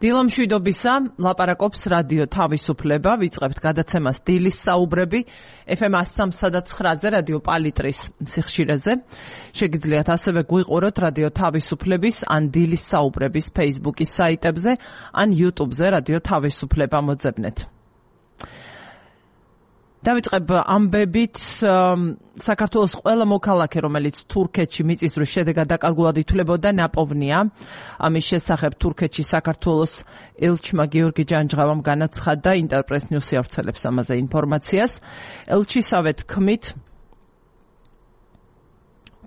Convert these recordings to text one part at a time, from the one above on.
დილამშვიდობისა, ლაპარაკობს რადიო თავისუფლება, ვიწყებთ გადაცემას დილის საუბრები, FM 103.9-ზე რადიო პალიტრის სიხშირეზე. შეგიძლიათ ასევე გვიყუროთ რადიო თავისუფლების ან დილის საუბრების Facebook-ის საიტებზე, ან YouTube-ზე რადიო თავისუფლება მოძებნეთ. დავიწყებ ამბებით საქართველოს ყველა მოქალაქე, რომელიც თურქეთში მიწისძვრის შედეგად დაკარგულად ითვლებოდა, ნაპოვნია. ამის შესახებ თურქეთში საქართველოს ელჩმა გიორგი ჯანჯღავამ განაცხადა, ინტერპრეს ნიუსი ავრცელებს ამაზე ინფორმაციას. ელჩისავე თქმით,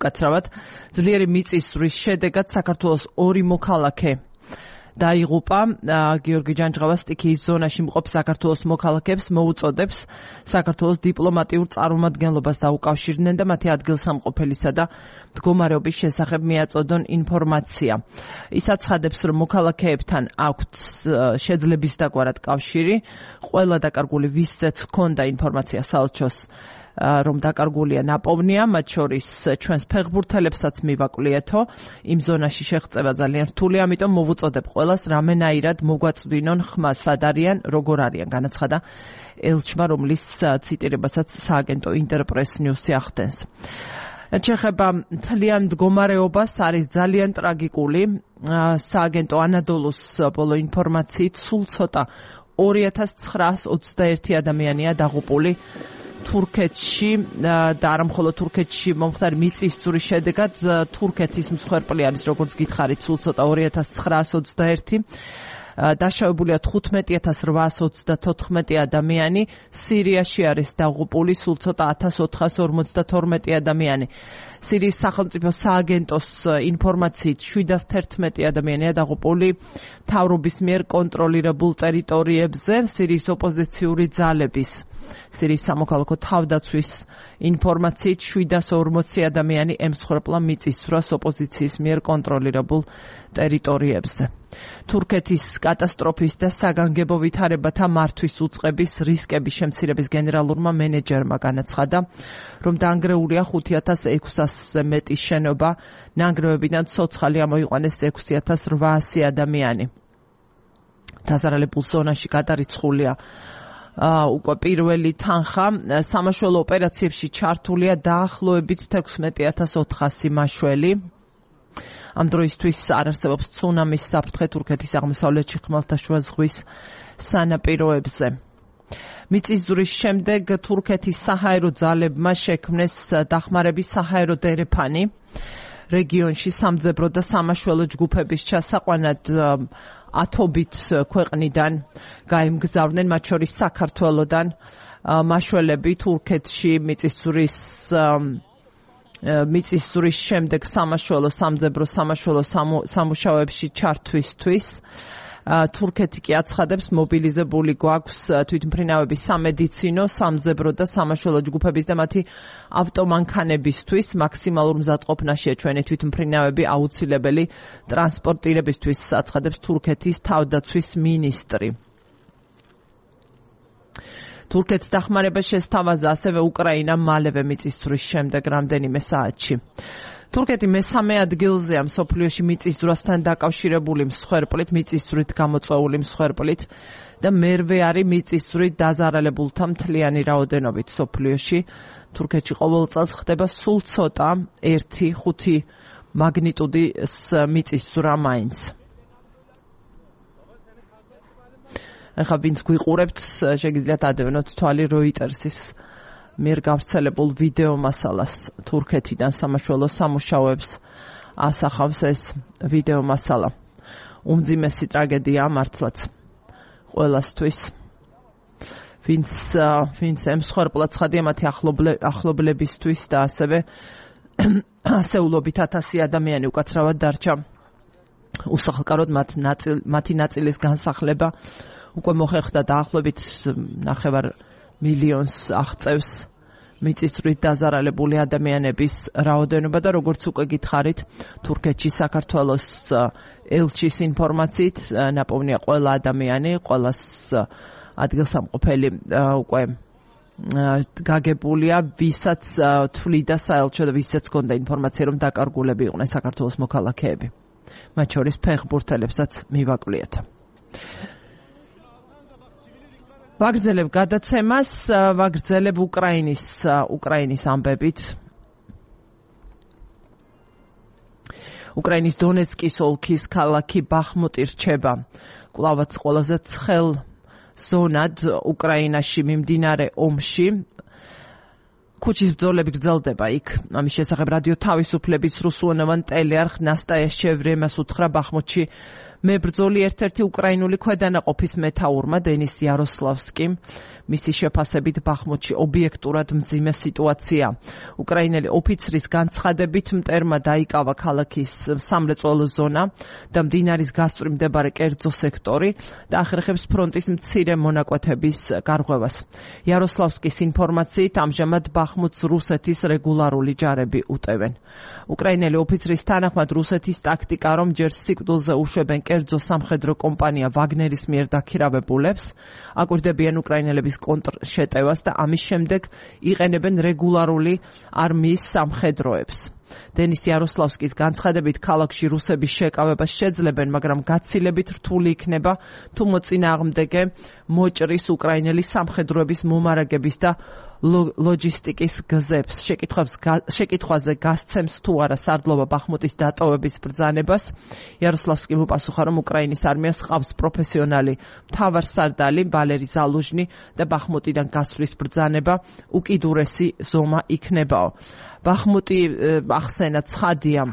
უკაცრავად, ძლიერი მიწისძვრის შედეგად საქართველოს 2 მოქალაქე დაიღუპა. გიორგი ჯანჯღავა სტიქიის ზონაში მყოფ საქართველოს მოქალაქეებს მოუწოდებს საქართველოს დიპლომატიურ წარმომადგენლობას დაუკავშირდნენ და მათი ადგილსამყოფელისა და მდგომარეობის შესახებ მიაწოდონ ინფორმაცია. ის აცხადებს, რომ მოქალაქეებთან აქვთ შეძლების დაგვარად კავშირი. ყველა დაკარგული ვისაც ჰქონდა ინფორმაცია საელჩოს რომ დაკარგულია ნაპოვნია, მათ შორის ჩვენს ფეხბურთელებსაც მივაკვლიეთო. იმ ზონაში შეღწევა ძალიან რთული, ამიტომ მოვუწოდებ ყველას რამენაირად მოგვაწვდინონ ხმა სად არიან, როგორ არიან, განაცხადა ელჩმა, რომლის ციტირებასაც სააგენტო ინტერპრეს ნიუსი ახდენს. შეხება მთლიან მდგომარეობას, არის ძალიან ტრაგიკული. სააგენტო ანადოლუს ბოლო ინფორმაციით სულ ცოტა 2921 ადამიანია დაღუპული თურქეთში და არა მხოლოდ თურქეთში მომხდარი მიწისძვრის შედეგად. თურქეთის მსხვერპლი არის, როგორც გითხარით, სულ ცოტა 2921. დაშავებულია 15834 ადამიანი. სირიაში არის დაღუპული სულ ცოტა 1452 ადამიანი. სირიის სახელმწიფო სააგენტოს ინფორმაციით 711 ადამიანია დაღუპული მთავრობის მიერ კონტროლირებულ ტერიტორიებზე. სირიის ოპოზიციური ძალების სირიის სამოქალაქო თავდაცვის ინფორმაციით 740 ადამიანი ემსხვერპლა მიწისძვრას ოპოზიციის მიერ კონტროლირებულ ტერიტორიებზე. თურქეთის კატასტროფის და საგანგებო ვითარებათა მართვის უწყების რისკების შემცირების გენერალურმა მენეჯერმა განაცხადა, რომ დაანგრეულია 5600-ზე მეტი შენობა, ნანგრევებიდან ცოცხალი ამოიყვანეს 6800 ადამიანი. დაზარალებულ ზონაში გადარიცხულია უკვე პირველი თანხა. სამაშველო ოპერაციებში ჩართულია დაახლოებით 16400 მაშველი. ამ დროისთვის არ არსებობს ცუნამის საფრთხე თურქეთის აღმოსავლეთში ხმელთაშუა ზღვის სანაპიროებზე. მიწისძვრის შემდეგ თურქეთის საჰაერო ძალებმა შექმნეს დახმარების საჰაერო დერეფანი რეგიონში სამძებრო და სამაშველო ჯგუფების ჩასაყვანად ათობით ქვეყნიდან გაემგზავრნენ, მათ შორის საქართველოდან მაშველები თურქეთში მიწისძვრის შემდეგ სამაშველო, სამძებრო, სამაშველო სამუშაოებში ჩართვისთვის. თურქეთი კი აცხადებს, მობილიზებული გვაქვს თვითმფრინავების სამედიცინო, სამძებრო და სამაშველო ჯგუფების და მათი ავტომანქანებისთვის. მაქსიმალურ მზადყოფნაშია ჩვენი თვითმფრინავები აუცილებელი ტრანსპორტირებისთვის, აცხადებს თურქეთის თავდაცვის მინისტრი. თურქეთს დახმარება შესთავაზა ასევე უკრაინამ მალევე მიწისძვრის შემდეგ რამდენიმე საათში. თურქეთი მესამე ადგილზეა მსოფლიოში მიწისძვრასთან დაკავშირებული მსხვერპლით, მიწისძვრით გამოწვეული მსხვერპლით და მერვე არის მიწისძვრით დაზარალებულთა მთლიანი რაოდენობით მსოფლიოში. თურქეთში ყოველ წელს ხდება სულ ცოტა 1.5 მაგნიტუდის მიწისძვრა მაინც. ახლა ვინც გვიყურებთ, შეგიძლიათ ადევნოთ თვალი როიტერსის მიერ გავრცელებულ ვიდეო მასალას. თურქეთიდან სამაშველო სამუშაოებს ასახავს ეს ვიდეო მასალა. უმძიმესი ტრაგედია მართლაც ყველასთვის. ვინც ემსხვერპლა ცხადია მათი ახლობლებისთვის და ასევე ასეულობით 1000 ადამიანი უკაცრავად დარჩა უსახლკაროდ მათი ნაწილის განსახლება უკვე მოხერხდა დაახლოებით 9 მილიონს აღწევს მიწისძვრით დაზარალებული ადამიანების რაოდენობა და როგორც უკვე გითხარით, თურქეთში საქართველოს ელჩის ინფორმაციით ნაპოვნია ყველა ადამიანი, ყველას ადგილსამყოფელი უკვე გაგებულია, ვისაც თვლიდა საელჩო და ვისაც ჰქონდა ინფორმაცია, რომ დაკარგულები იყვნენ საქართველოს მოქალაქეები. მათ შორის ფეხბურთელებსაც მივაკვლიეთ. ვაგრძელებ გადაცემას, ვაგრძელებ უკრაინის ამბებით. უკრაინის დონეცკის ოლქის ქალაქი ბახმუტი რჩება კვლავაც ყველაზე ცხელ ზონად უკრაინაში მიმდინარე ომში. ქუჩის ბრძოლები გრძელდება იქ. ამის შესახებ რადიო თავისუფლების რუსულენოვან ტელეარხ ნასტაია შევრემას უთხრა ბახმუტში მებრძოლი ერთ-ერთი უკრაინული ქვედანაყოფის მეთაურმა დენის იაროსლავსკიმ. მისი შეფასებით ბახმუტში ობიექტურად მძიმე სიტუაცია. უკრაინელი ოფიცრის განცხადებით მტერმა დაიკავა ქალაქის სამრეწველო ზონა და მდინარის გასწვრივ მდებარე კერძო სექტორი და ახერხებს ფრონტის მცირე მონაკვეთების გარღვევას. იაროსლავსკის ინფორმაციით ამჟამად ბახმუტს რუსეთის რეგულარული ჯარები უტევენ. უკრაინელი ოფიცრის თანახმად რუსეთის ტაქტიკა, რომ ჯერ სიკვდილზე უშვებენ კერძო სამხედრო კომპანია ვაგნერის მიერ დაქირავებულებს, აკვირდებიან უკრაინელების კონტრშეტევას და ამის შემდეგ იყენებენ რეგულარული არმიის სამხედროებს. დენის იაროსლავსკის განცხადებით ქალაქში რუსების შეკავებას შეძლებენ, მაგრამ გაცილებით რთული იქნება თუ მოწინააღმდეგე მოჭრის უკრაინელი სამხედროების მომარაგების და ლოჯისტიკის გზებს. შეკითხვაზე გასცემს თუ არა სარდლობა ბახმუტის დატოვების ბრძანებას. იაროსლავსკიმ უპასუხა, რომ უკრაინის არმიას ჰყავს პროფესიონალი მთავარსარდალი ვალერი ზალუჟნი და ბახმუტიდან გასვლის ბრძანება უკიდურესი ზომა იქნებაო. ბახმუტი ახსენა ცხადია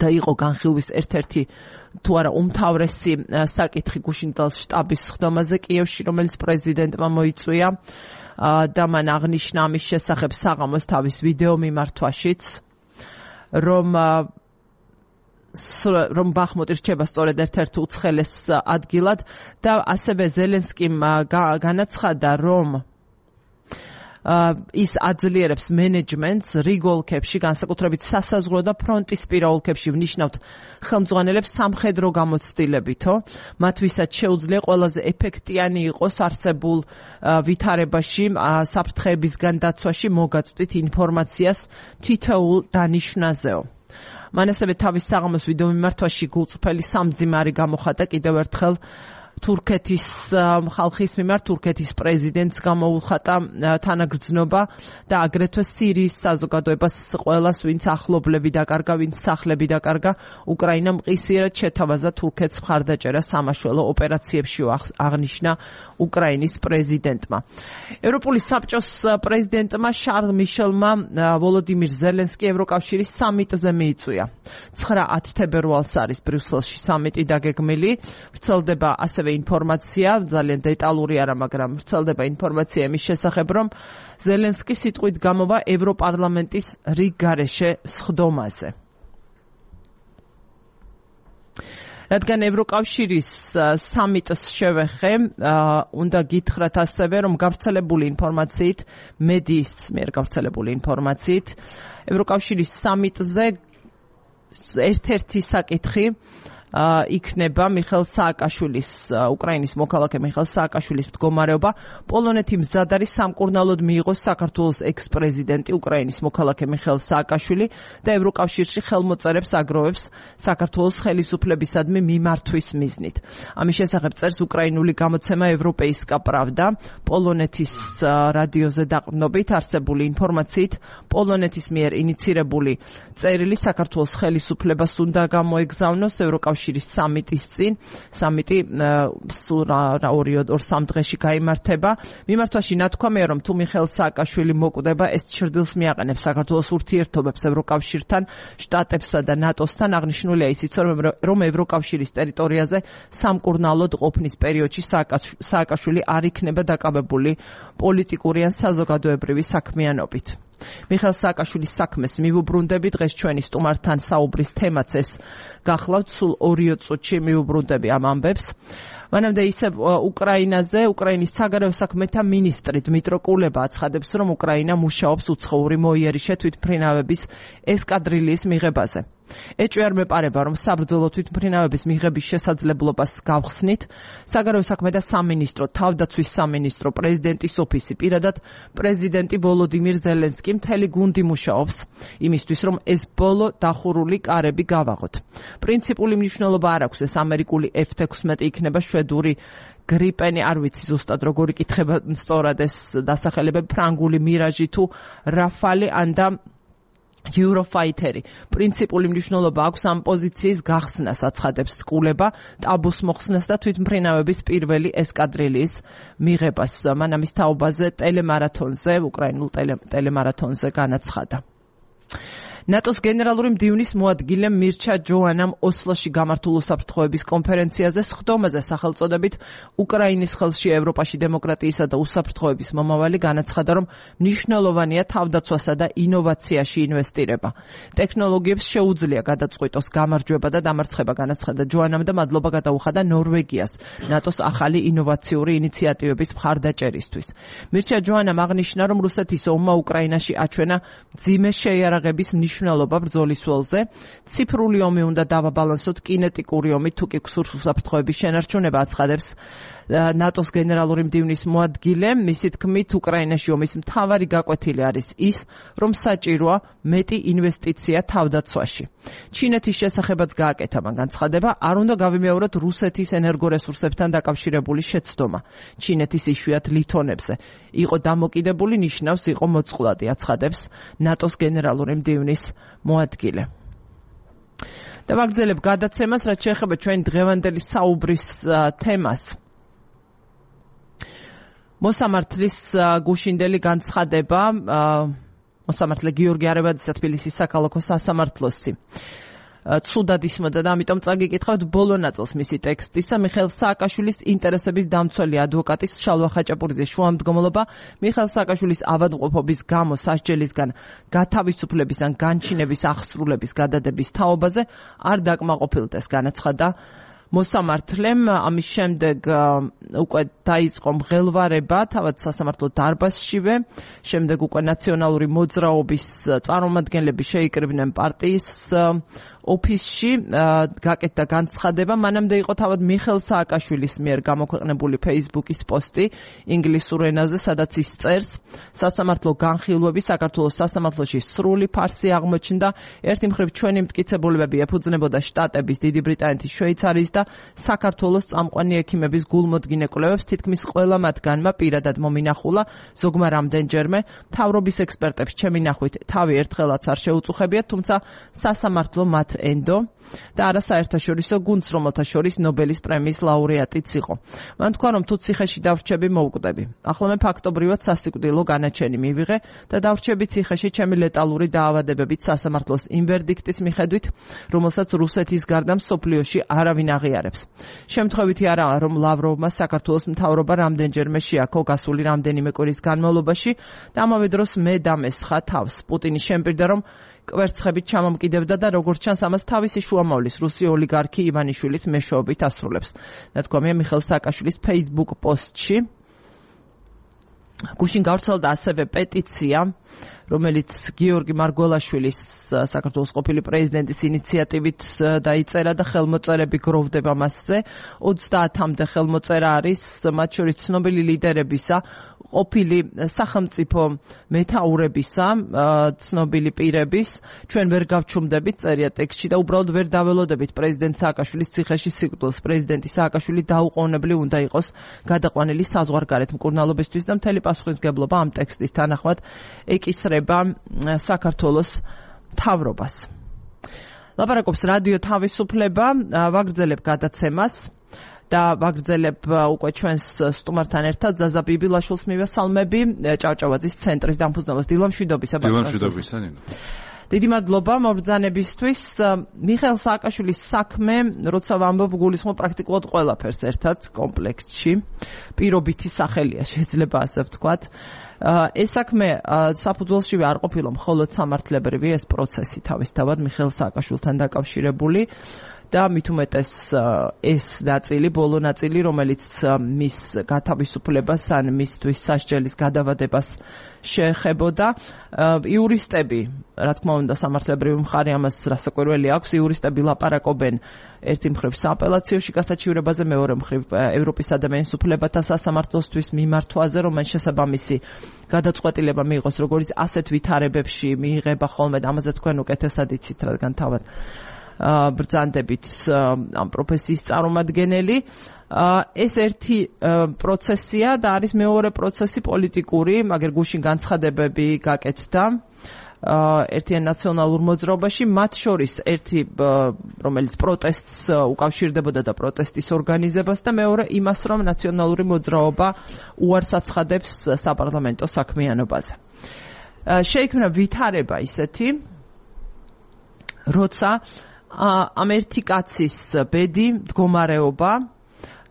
და იყო განხილვის ერთ-ერთი თუ არა უმთავრესი საკითხი გუშინდელს შტაბის სხდომაზე კიევში, რომელიც პრეზიდენტმა მოიწვია და მან აღნიშნა ამის შესახებ საღამოს თავის ვიდეო მიმართვაშიც, რომ ბახმუტი რჩება სწორედ ერთ-ერთ უცხელეს ადგილად და ასევე ზელენსკიმ განაცხადა, რომ ის აძლიერებს მენეჯმენტს რიგ ოლქებში, განსაკუთრებით სასაზღვრო და ფრონტისპირა ოლქებში ვნიშნავთ ხელმძღვანელებს სამხედრო გამოცდილებითო, მათვისაც შეუძლია ყველაზე ეფექტიანი იყოს არსებულ ვითარებაში, საფრთხეებისგან დაცვაში მოგაწვდით ინფორმაციას თითოეულ დანიშვნაზეო. მან ასევე თავის საღამოს ვიდეო მიმართვაში გულწრფელი სამძიმარი გამოხატა კიდევ ერთხელ თურქეთის ხალხის მიმართ, თურქეთის პრეზიდენტს გამოუხატა თანაგრძნობა და აგრეთვე სირიის საზოგადოებას ყველას, ვინც ახლობლები დაკარგა, ვინც სახლები დაკარგა, უკრაინამ მყისიერად შეთავაზა თურქეთს მხარდაჭერა სამაშველო ოპერაციებში, აღნიშნა უკრაინის პრეზიდენტმა. ევროპული საბჭოს პრეზიდენტმა შარლ მიშელმა ვოლოდიმირ ზელენსკი ევროკავშირის სამიტზე მიიწვია. 9-10 თებერვალს არის ბრიუსელში სამიტი დაგეგმილი. ვრცელდება ასევე ინფორმაცია, ძალიან დეტალური არა, მაგრამ ვრცელდება ინფორმაცია იმის შესახებ, რომ ზელენსკი სიტყვით გამოვა ევროპარლამენტის რიგ გარეშე სხდომაზე. რადგან ევროკავშირის სამიტს შევეხე, უნდა გითხრათ ასევე, რომ გავრცელებული ინფორმაციით, მედიის მიერ გავრცელებული ინფორმაციით, ევროკავშირის სამიტზე ერთ-ერთი საკითხი იქნება მიხეილ სააკაშვილის, უკრაინის მოქალაქე მიხეილ სააკაშვილის მდგომარეობა. პოლონეთი მზად არის სამკურნალოდ მიიღოს საქართველოს ექს-პრეზიდენტი უკრაინის მოქალაქე მიხეილ სააკაშვილი და ევროკავშირში ხელმოწერებს აგროვებს საქართველოს ხელისუფლებისადმი მიმართვის მიზნით. ამის შესახებ წერს უკრაინული გამოცემა ევროპეისკა პრავდა. პოლონეთის რადიოზე დაყრდნობით არსებული ინფორმაციით, პოლონეთის მიერ ინიცირებული წერილი საქართველოს ხელისუფლებას უნდა გამოეგზავნოს ევროკავშირის სამიტის წინ. სამიტი სულ 2-3 დღეში გაიმართება. მიმართვაში ნათქვამია, რომ თუ მიხეილ სააკაშვილი მოკვდება, ეს ჩრდილს მიაყენებს საქართველოს ურთიერთობებს ევროკავშირთან, შტატებსა და ნატოსთან. აღნიშნულია ისიც, რომ ევროკავშირის ტერიტორიაზე სამკურნალოდ ყოფნის პერიოდში სააკაშვილი არ იქნება დაკავებული პოლიტიკური ან საზოგადოებრივი საქმიანობით. მიხეილ სააკაშვილის საქმეს მივუბრუნდები. დღეს ჩვენი სტუმართან საუბრის თემაც ეს გახლავთ. სულ 2 წუთში მივუბრუნდები ამ ამბებს. მანამდე ისევ უკრაინაზე, უკრაინის საგარეო საქმეთა მინისტრი დმიტრო კულება აცხადებს, რომ უკრაინა მუშაობს უცხოური მოიერიშე თვითმფრინავების ესკადრილიის მიღებაზე. ეჭვი არ მეპარება, რომ საბრძოლო თვითმფრინავების მიღების შესაძლებლობას გავხსნით. საგარეო საქმე და სამინისტრო, თავდაცვის სამინისტრო, პრეზიდენტის ოფისი, პირადად პრეზიდენტი ვოლოდიმირ ზელენსკი მთელი გუნდი მუშაობს იმისთვის, რომ ეს ბოლო დახურული კარები გავაღოთ. პრინციპული მნიშვნელობა არ აქვს ეს ამერიკული F-16 იქნება შვედური გრიპენი, არ ვიცი ზუსტად როგორი კითხება სწორად ეს დასახელებები, ფრანგული მირაჟი თუ რაფალი ანდა Eurofighteri. პრინციპული მნიშვნელობა აქვს ამ პოზიციის გახსნას, აცხადებს სკულება, ტაბუს მოხსნას და თვითმფრინავების პირველი ესკადრილიის მიღებას. მან ამის თაობაზე ტელემარათონზე, უკრაინულ ტელემარათონზე განაცხადა. ნატოს გენერალური მდივნის მოადგილე მირჩა ჯოანამ ოსლოში გამართულ უსაფრთხოების კონფერენციაზე სხდომაზე სახელწოდებით უკრაინის ხელში ევროპაში დემოკრატიისა და უსაფრთხოების მომავალი განაცხადა, რომ მნიშვნელოვანია თავდაცვასა და ინოვაციაში ინვესტირება. ტექნოლოგიებს შეუძლია გადაწყვიტოს გამარჯვება და დამარცხება, განაცხადა ჯოანამ და მადლობა გადაუხადა ნორვეგიას ნატოს ახალი ინოვაციური ინიციატივების მხარდაჭერისთვის. მირჩა ჯოანამ აღნიშნა, რომ რუსეთის ომმა უკრაინაში აჩვენა მძიმე შეიარაღების მნიშვნელობა ბრძოლის ველზე. ციფრული ომი უნდა დავაბალანსოთ კინეტიკური ომით, თუ კი გსურს უსაფრთხოების შენარჩუნება, აცხადებს ნატოს გენერალური მდივნის მოადგილე. მისი თქმით, უკრაინაში ომის მთავარი გაკვეთილი არის ის, რომ საჭიროა მეტი ინვესტიცია თავდაცვაში. ჩინეთის შესახებაც გააკეთა მან განცხადება, არ უნდა გავიმეოროთ რუსეთის ენერგორესურსებთან დაკავშირებული შეცდომა. ჩინეთის იშვიათ ლითონებზე იყო დამოკიდებული, ნიშნავს იყო მოწყვლადი, აცხადებს ნატოს გენერალური მდივნის მოადგილე. და ვაგრძელებ გადაცემას, რაც შეეხება ჩვენი დღევანდელი საუბრის თემას. მოსამართლის გუშინდელი განცხადება, მოსამართლე გიორგი არებაძისა თბილისის საქალაქო სასამართლოსი ცუდად ისმოდა და ამიტომ წაგიკითხავთ ბოლო ნაწილს მისი ტექსტისა. მიხეილ სააკაშვილის ინტერესების დამცველი ადვოკატის შალვა ხაჭაპურიძის შუამდგომლობა მიხეილ სააკაშვილის ავადმყოფობის გამო სასჯელისგან გათავისუფლების ან განჩინების აღსრულების გადადების თაობაზე არ დაკმაყოფილდეს, განაცხადა მოსამართლემ. ამის შემდეგ უკვე დაიწყო მღელვარება თავად სასამართლო დარბაზშივე, შემდეგ უკვე ნაციონალური მოძრაობის წარმომადგენლები შეიკრიბნენ პარტიის ოფისში, გაკეთდა განცხადება. მანამდე იყო თავად მიხეილ სააკაშვილის მიერ გამოქვეყნებული Facebook-ის პოსტი ინგლისურ ენაზე, სადაც ის წერს, სასამართლო განხილვები საქართველოს სასამართლოში სრული ფარსი აღმოჩნდა. ერთი მხრივ ჩვენი მტკიცებულებები ეფუძნებოდა შტატების, დიდი ბრიტანეთის, შვეიცარიის და საქართველოს წამყვანი ექიმების გულმოდგინე კვლევებს, თითქმის ყველა მათგანმა პირადად მომინახულა, ზოგმა რამდენჯერმე. მთავრობის ექსპერტებს ჩემი ნახვით თავი ერთხელაც არ შეუწუხებიათ, თუმცა სასამართლო მათ ენდო და არა საერთაშორისო გუნდს, რომელთა შორის ნობელის პრემიის ლაურეატიც იყო. მან თქვა, რომ თუ ციხეში დავრჩები, მოვკვდები. ახლა მე ფაქტობრივად სასიკვდილო განაჩენი მივიღე და დავრჩები ციხეში ჩემი ლეტალური დაავადებებით სასამართლოს იმ ვერდიქტის მიხედვით, რომელსაც რუსეთის გარდა მსოფლიოში არავინ აღიარებს. შემთხვევითი არაა, რომ ლავროვმა საქართველოს მთავრობა რამდენჯერმე შეაქო გასული რამდენიმე კვირის განმავლობაში და ამავე დროს მე დამესხა თავს. პუტინი შემპირდა, რომ კვერცხებით ჩამომკიდებდა და როგორც ჩანს ამას თავისი შუამავლის რუსი ოლიგარქი ივანიშვილის მეშვეობით ასრულებს. ნათქვამია მიხეილ სააკაშვილის Facebook პოსტში. გუშინ გავრცელდა ასევე პეტიცია, რომელიც გიორგი მარგველაშვილის საქართველოს ყოფილი პრეზიდენტის ინიციატივით დაიწერა და ხელმოწერები გროვდება მასზე. 30-მდე ხელმოწერა არის, მათ შორის ცნობილი ლიდერებისა, ყოფილი სახელმწიფო მეთაურებისა, ცნობილი პირების. ჩვენ ვერ გავჩუმდებით, წერია ტექსტში, და უბრალოდ ვერ დაველოდებით პრეზიდენტ სააკაშვილის ციხეში სიკვდილს. პრეზიდენტი სააკაშვილი დაუყოვნებლივ უნდა იყოს გადაყვანილი საზღვარგარეთ მკურნალობისთვის და მთელი პასუხისმგებლობა ამ ტექსტის თანახმად ეკისრება საქართველოს მთავრობას. ლაპარაკობს რადიო თავისუფლება, ვაგრძელებ გადაცემას და ვაგრძელებ უკვე ჩვენს სტუმართან ერთად ზაზა ბიბილაშვილს მივესალმები, ჭავჭავაძის ცენტრის დამფუძნებელს. დილამშვიდობისა. დილამშვიდობისა, ნინო. დიდი მადლობა მობრძანებისთვის. მიხეილ სააკაშვილის საქმე, როცა ვამბობ, გულისხმობ პრაქტიკულად ყველაფერს ერთად კომპლექსში. პირობითი სახელია, შეიძლება ასე ვთქვათ. ეს საქმე საფუძველშივე არ ყოფილა მხოლოდ სამართლებრივი ეს პროცესი თავისთავად მიხეილ სააკაშვილთან დაკავშირებული და მით უმეტეს ეს ნაწილი, ბოლო ნაწილი, რომელიც მის გათავისუფლებას ან მისთვის სასჯელის გადავადებას შეეხებოდა. იურისტები, რა თქმა უნდა, სამართლებრივი მხარე ამას რასაკვირველი აქვს, იურისტები ლაპარაკობენ ერთი მხრივ სააპელაციოში გასაჩივრებაზე, მეორე მხრივ ევროპის ადამიანის უფლებათა სასამართლოსთვის მიმართვაზე, რომელიც შესაბამისი გადაწყვეტილება მიიღოს, როგორც ასეთ ვითარებებში მიიღება ხოლმე და ამაზე თქვენ უკეთესად იცით, რადგან თავად ბრძანდებით ამ პროფესიის წარმომადგენელი. ეს ერთი პროცესია და არის მეორე პროცესი პოლიტიკური, მაგრამ გუშინ განცხადებები გაკეთდა ერთიან ნაციონალურ მოძრაობაში, მათ შორის ერთი, რომელიც პროტესტს უკავშირდებოდა და პროტესტის ორგანიზებას და მეორე იმას, რომ ნაციონალური მოძრაობა უარს აცხადებს საპარლამენტო საქმიანობაზე. შეიქმნა ვითარება ისეთი, როცა ამ ერთი კაცის ბედი, მდგომარეობა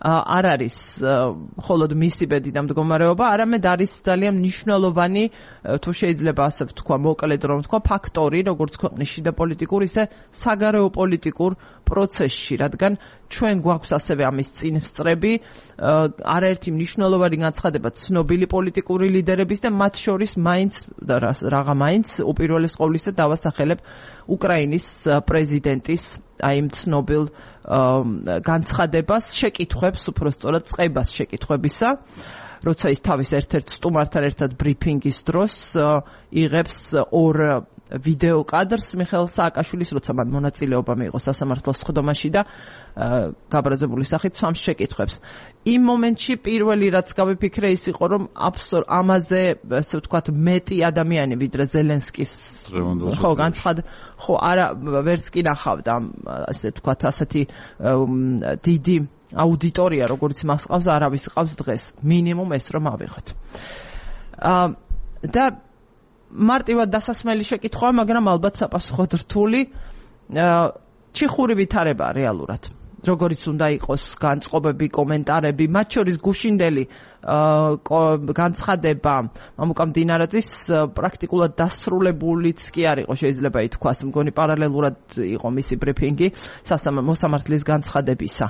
არ არის მხოლოდ მისი ბედი და მდგომარეობა, არამედ არის ძალიან მნიშვნელოვანი, თუ შეიძლება ასე ვთქვა, მოკლედ რომ ვთქვა, ფაქტორი, როგორც ქვეყნის შიდა პოლიტიკურ, ისე საგარეო პოლიტიკურ პროცესში, რადგან ჩვენ გვაქვს ასევე ამის წინ სწრები, არაერთი მნიშვნელოვანი განცხადება ცნობილი პოლიტიკური ლიდერების და მათ შორის მაინც უპირველეს ყოვლისა დავასახელებ უკრაინის პრეზიდენტის აი იმ ცნობილ განცხადებას, შეკითხვებს, უпростоრად წყებას შეკითხვებისა, როცა ის თავის ერთ-ერთ სტუმართან ერთად ბრიფინგის დროს იღებს ორ ვიდეო კადრს მიხეილ სააკაშვილის, როცა მან მონაწილეობა მიიღო სასამართლოს სხდომაში და გაბრაზებული სახით სვამს შეკითხვებს. იმ მომენტში პირველი რაც გავიფიქრე ის იყო, რომ ამაზე, ასე ვთქვათ, მეტი ადამიანი ვიდრე ზელენსკის არა ვერც კი ნახავდა, ასე ვთქვათ, ასეთი დიდი აუდიტორია, როგორც მას ყავს, არავის ყავს დღეს. მინიმუმ ეს რომ ავიღოთ. და მარტივად დასასმელი შეკითხვა, მაგრამ ალბათ საპასუხოდ რთული. ჩიხური ვითარება რეალურად. როგორც უნდა იყოს განწყობები, კომენტარები, მათ შორის გუშინდელი განცხადება მამუკა მდინარაძის პრაქტიკულად დასრულებულიც კი არ იყო, შეიძლება ითქვას, მგონი პარალელურად იყო მისი ბრიფინგი მოსამართლის განცხადებისა,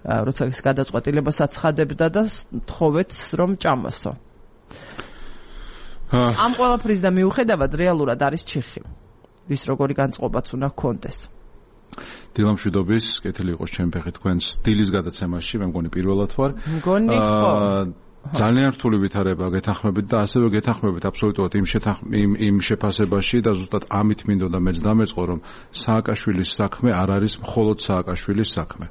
როცა ეს გადაწყვეტილებას აცხადებდა და თხოვეთ რომ ჭამოსო. ამ ყველაფრის და მიუხედავად რეალურად არის ჩიხი, ვის როგორი განწყობაც უნდა ჰქონდეს. დილამშვიდობის, კეთილი იყოს ჩემი ფეხი თქვენს დილის გადაცემაში, მე მგონი პირველად ვარ. მგონი ხო. ძალიან რთული ვითარება გეთანხმებით და ასევე გეთანხმებით აბსოლუტურად იმ შეფასებაში და ზუსტად ამით მინდოდა მეც დამეწყო, რომ სააკაშვილის საქმე არ არის მხოლოდ სააკაშვილის საქმე.